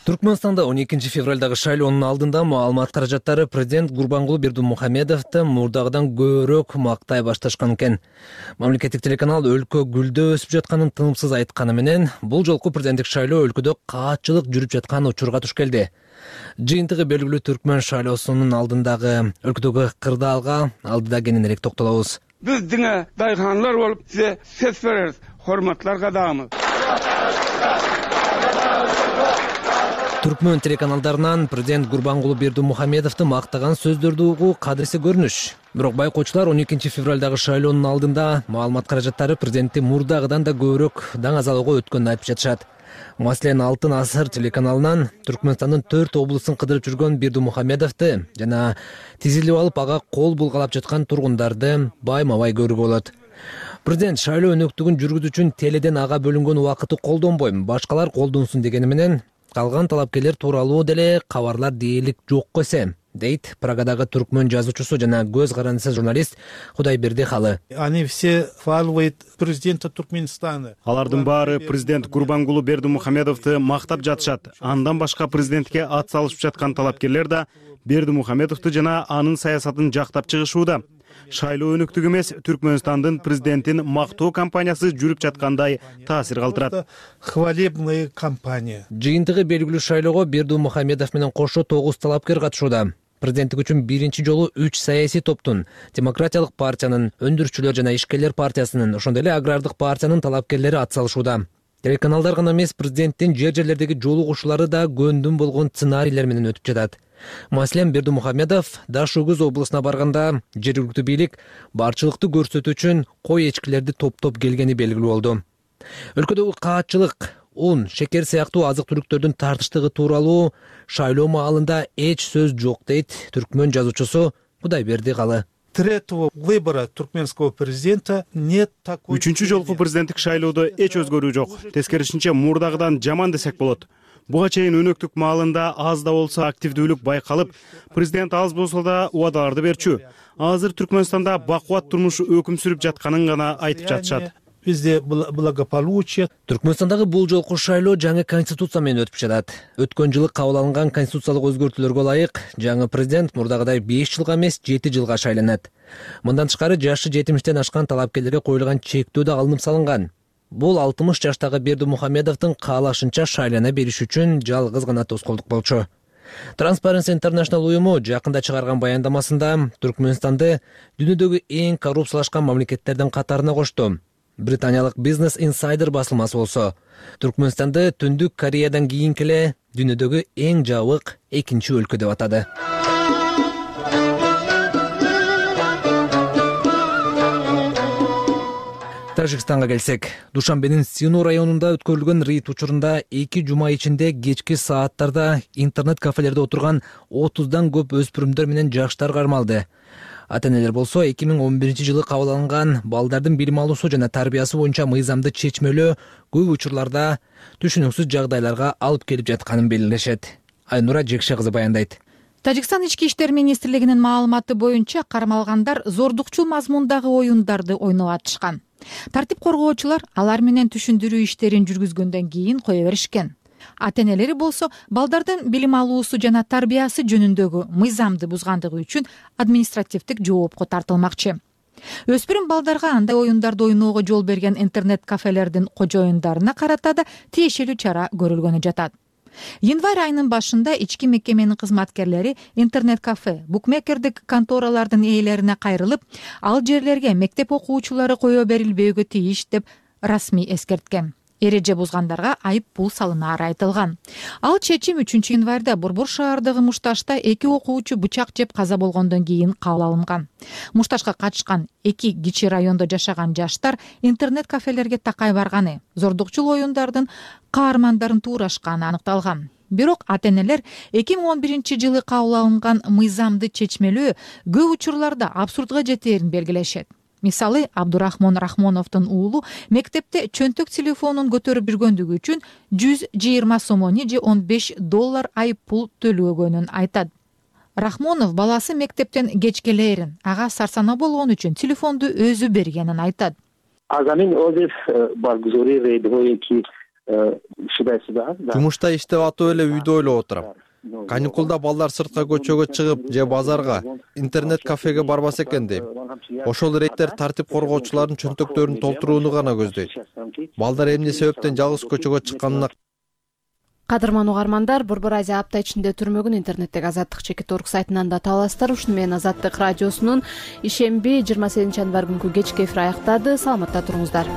Түркмөнстанда 12 февралдагы шайлоонун алдында маалымат каражаттары президент Гурбангулы Бердимухамедовду мурдагыдан көбүрөөк мактай башташкан экен. Мамлекеттик телеканал өлкө гүлдөө өсүп жатканын тынымсыз айтканы менен бул жолку президенттик шайлоо өлкөдө каатчылык жүрүп жаткан учурга туш келди. Жыйынтыгы белгилүү түркмөн шайлоосунун алдындагы өлкөдөгү кырдаалга алдыда кененирээк токтолобуз. Биз диңе дайханлар болуп сизе сөз беребиз. Hormatlar кадамыз. Түркмөн телеканалдарынан президент Гурбангулы Бердимухамедовду мактаган сөздөрдү угуу кадырсы көрүнүш. Бирок байкоочулар 12 февралдагы шайлоонун алдында маалымат каражаттары президентти мурдагыдан да көбүрөөк даңазалоого өткөнүн айтып жатышат. Маселен, Алтын асыр телеканалынан Түркмөнстандын 4 облустун кыдырып жүргөн Бердимухамедовду жана тизилип алып ага кол булгалап жаткан тургундарды байма-бай көрүүгө болот. Президент шайлоо өнөктүгүн жүргүзүү үчүн теледен ага бөлүнгөн убакытты колдонбойм, башкалар колдонсун дегени менен калган талапкерлер тууралуу деле кабарлар дээрлик жок эсе, дейт Прагадагы түркмөн жазуучусу жана көз карандысы журналист Кудайберди Халы. Они все хвалывают президента Туркменистана. Алардын баары президент Гурбангулы Бердимухамедовду мактап жатышат. Андан башка президентке ат салышып жаткан талапкерлер да Бердимухамедовду жана анын саясатын жактап чыгышууда. Шайлоо өнөктүк эмес, Түркмөнстандын президентин мактоо кампаниясы жүрүп жаткандай таасир калтырат. Хвалебная кампания. Жыйынтыгы белгилүү шайлоого Бердимухамедов менен кошо 9 талапкер катышууда. Президенттик үчүн биринчи жолу 3 саясий топтун, Демократиялык партиянын, Өндүрүүчүлөр жана Ишкерлер партиясынын, ошондой эле Агрардык партиянын талапкерлери ат салышууда. Телеканалдар гана эмес, президенттин жер-жерлердеги жолугушуулары да көндүм болгон сценарийлер менен өтүп жатат. Маселен, Бердимухамедов Даш-Угуз облусуна барганда жергиликтүү бийлик барчылыкты көрсөтүү үчүн кой эчкилерди топтоп келгени белгилүү болду. Өлкөдөгү каатчылык, ун, шекер сыяктуу азык-түлүктөрдүн тартыштыгы тууралуу шайлоо маалында эч сөз жок, дейт түркмөн жазуучусу Кудайберди Халы. Третьего выбора туркменского президента нет такой. Үчүнчү жолку президенттик шайлоодо эч өзгөрүү жок. Тескерисинче мурдагыдан жаман десек болот. Буга чейин өнөктүк маалында аз да болсо активдүүлүк байкалып, президент аз болсо да убадаларды берчү. Азыр Түркмөнстанда бакубат турмуш өкүм сүрүп жатканын гана айтып жатышат. Везде благополучие. Түркмөнстандагы бул жолку шайлоо жаңы конституция менен өтүп жатат. Өткөн жылы кабыл алынган конституциялык өзгөртүүлөргө ылайык жаңы президент мурдагыдай 5 жылга эмес 7 жылга шайланат. Мындан тышкары жашы 70-тен ашкан талапкерлерге коюлган чектөө да алынып салынган. Бул 60 жаштагы Бердимухамедовдун каалашынча шайлана бериш үчүн жалгыз гана тоскоолдук болчу. Transparency International уюму жакында чыгарган баяндамасында Түркмөнстанды дүйнөдөгү эң коррупциялашкан мамлекеттердин катарына кошту. Британиялык Business Insider басылмасы болсо, Түркмөнстанды Түндүк Кореядан кийинки эле дүйнөдөгү эң жабык экинчи өлкө деп атады. Тажикстанга келсек, Душанбенин Сину районунда өткөрүлгөн рейд учурунда 2 жума ичинде кечки сааттарда интернет-кафелерде отурган 30дан көп өспүрүмдөр менен жаштар кармалды. Ата-энелер болсо 2011-жылы кабыл алынган балдардын билим алуусу жана тарбиясы боюнча мыйзамды чечмелөө көп учурларда түшүнүксүз жагдайларга алып келип жатканын белгилешет. Айнура Жекше кызы баяндайт. Тажикстан ички иштер министрлигинин маалыматы боюнча кармалгандар зордукчул мазмундагы оюндарды ойноп атышкан. Тартип коргоочулар алар менен түшүндүрүү иштерин жүргүзгөндөн кийин кое беришкен. Ата-энелери болсо балдардын билим алуусу жана тарбиясы жөнүндөгү мыйзамды бузгандыгы үчүн административдик жоопко тартылмакчы. Өспүрүм балдарга андай оюндарды ойноого жол берген интернет-кафелердин кожоюндарына карата да тиешелүү чара көрүлгөнү жатат. Январь айынын башында ички мекеменин кызматкерлери интернет-кафе, букмекердик конторалардын ээлерине кайрылып, ал жерлерге мектеп окуучулары кое берилбөөгө тийиш деп расмий эскерткен. эреже бузгандарга айып пул салынаары айтылган. Ал чечим 3 январда Борбор шаардагы Мушташта 2 окуучу бычак жеп каза болгондон кийин кабыл алынган. Мушташка катышкан 2 кичи райондо жашаган жаштар интернет кафелерге такай барганы, зордукчул оюндардын каармандарын туурашканы аныкталган. Бирок ата-энелер 2011-жылы кабыл алынган мыйзамды чечмелөө көп учурларда абсурдга жетээрин белгилешет. Мисалы, Абдурахмон Рахмоновдун уулу мектепте чөнтөк телефонун көтөрүп жүргөндүгү үчүн 120 сомони же $15 айып пул төлөгөнүн айтат. Рахмонов баласы мектептен кеч келээрин, ага сарсанаа болгон үчүн телефонду өзү бергенин айтат. Жумушта иштеп атып эле үйдө ойлоп отурам. Каникулда балдар сыртка көчөгө чыгып же базарга, интернет кафеге барбаса экен дейм. Ошол рейттер тартип коргоочулардын чөнтөктөрүн толтурууну гана көздөйт. Балдар эмне себептен жалгыз көчөгө чыкканына. Кадырман угармандар, Борбор Азия апта ичинде түрмөгүн интернеттеги Азаттык.org сайтынан да таба аласыздар. Ушуну менен Азаттык радиосунун ишемби 28 январь күнкү кечки эфири аяктады. Саламатта туруңуздар.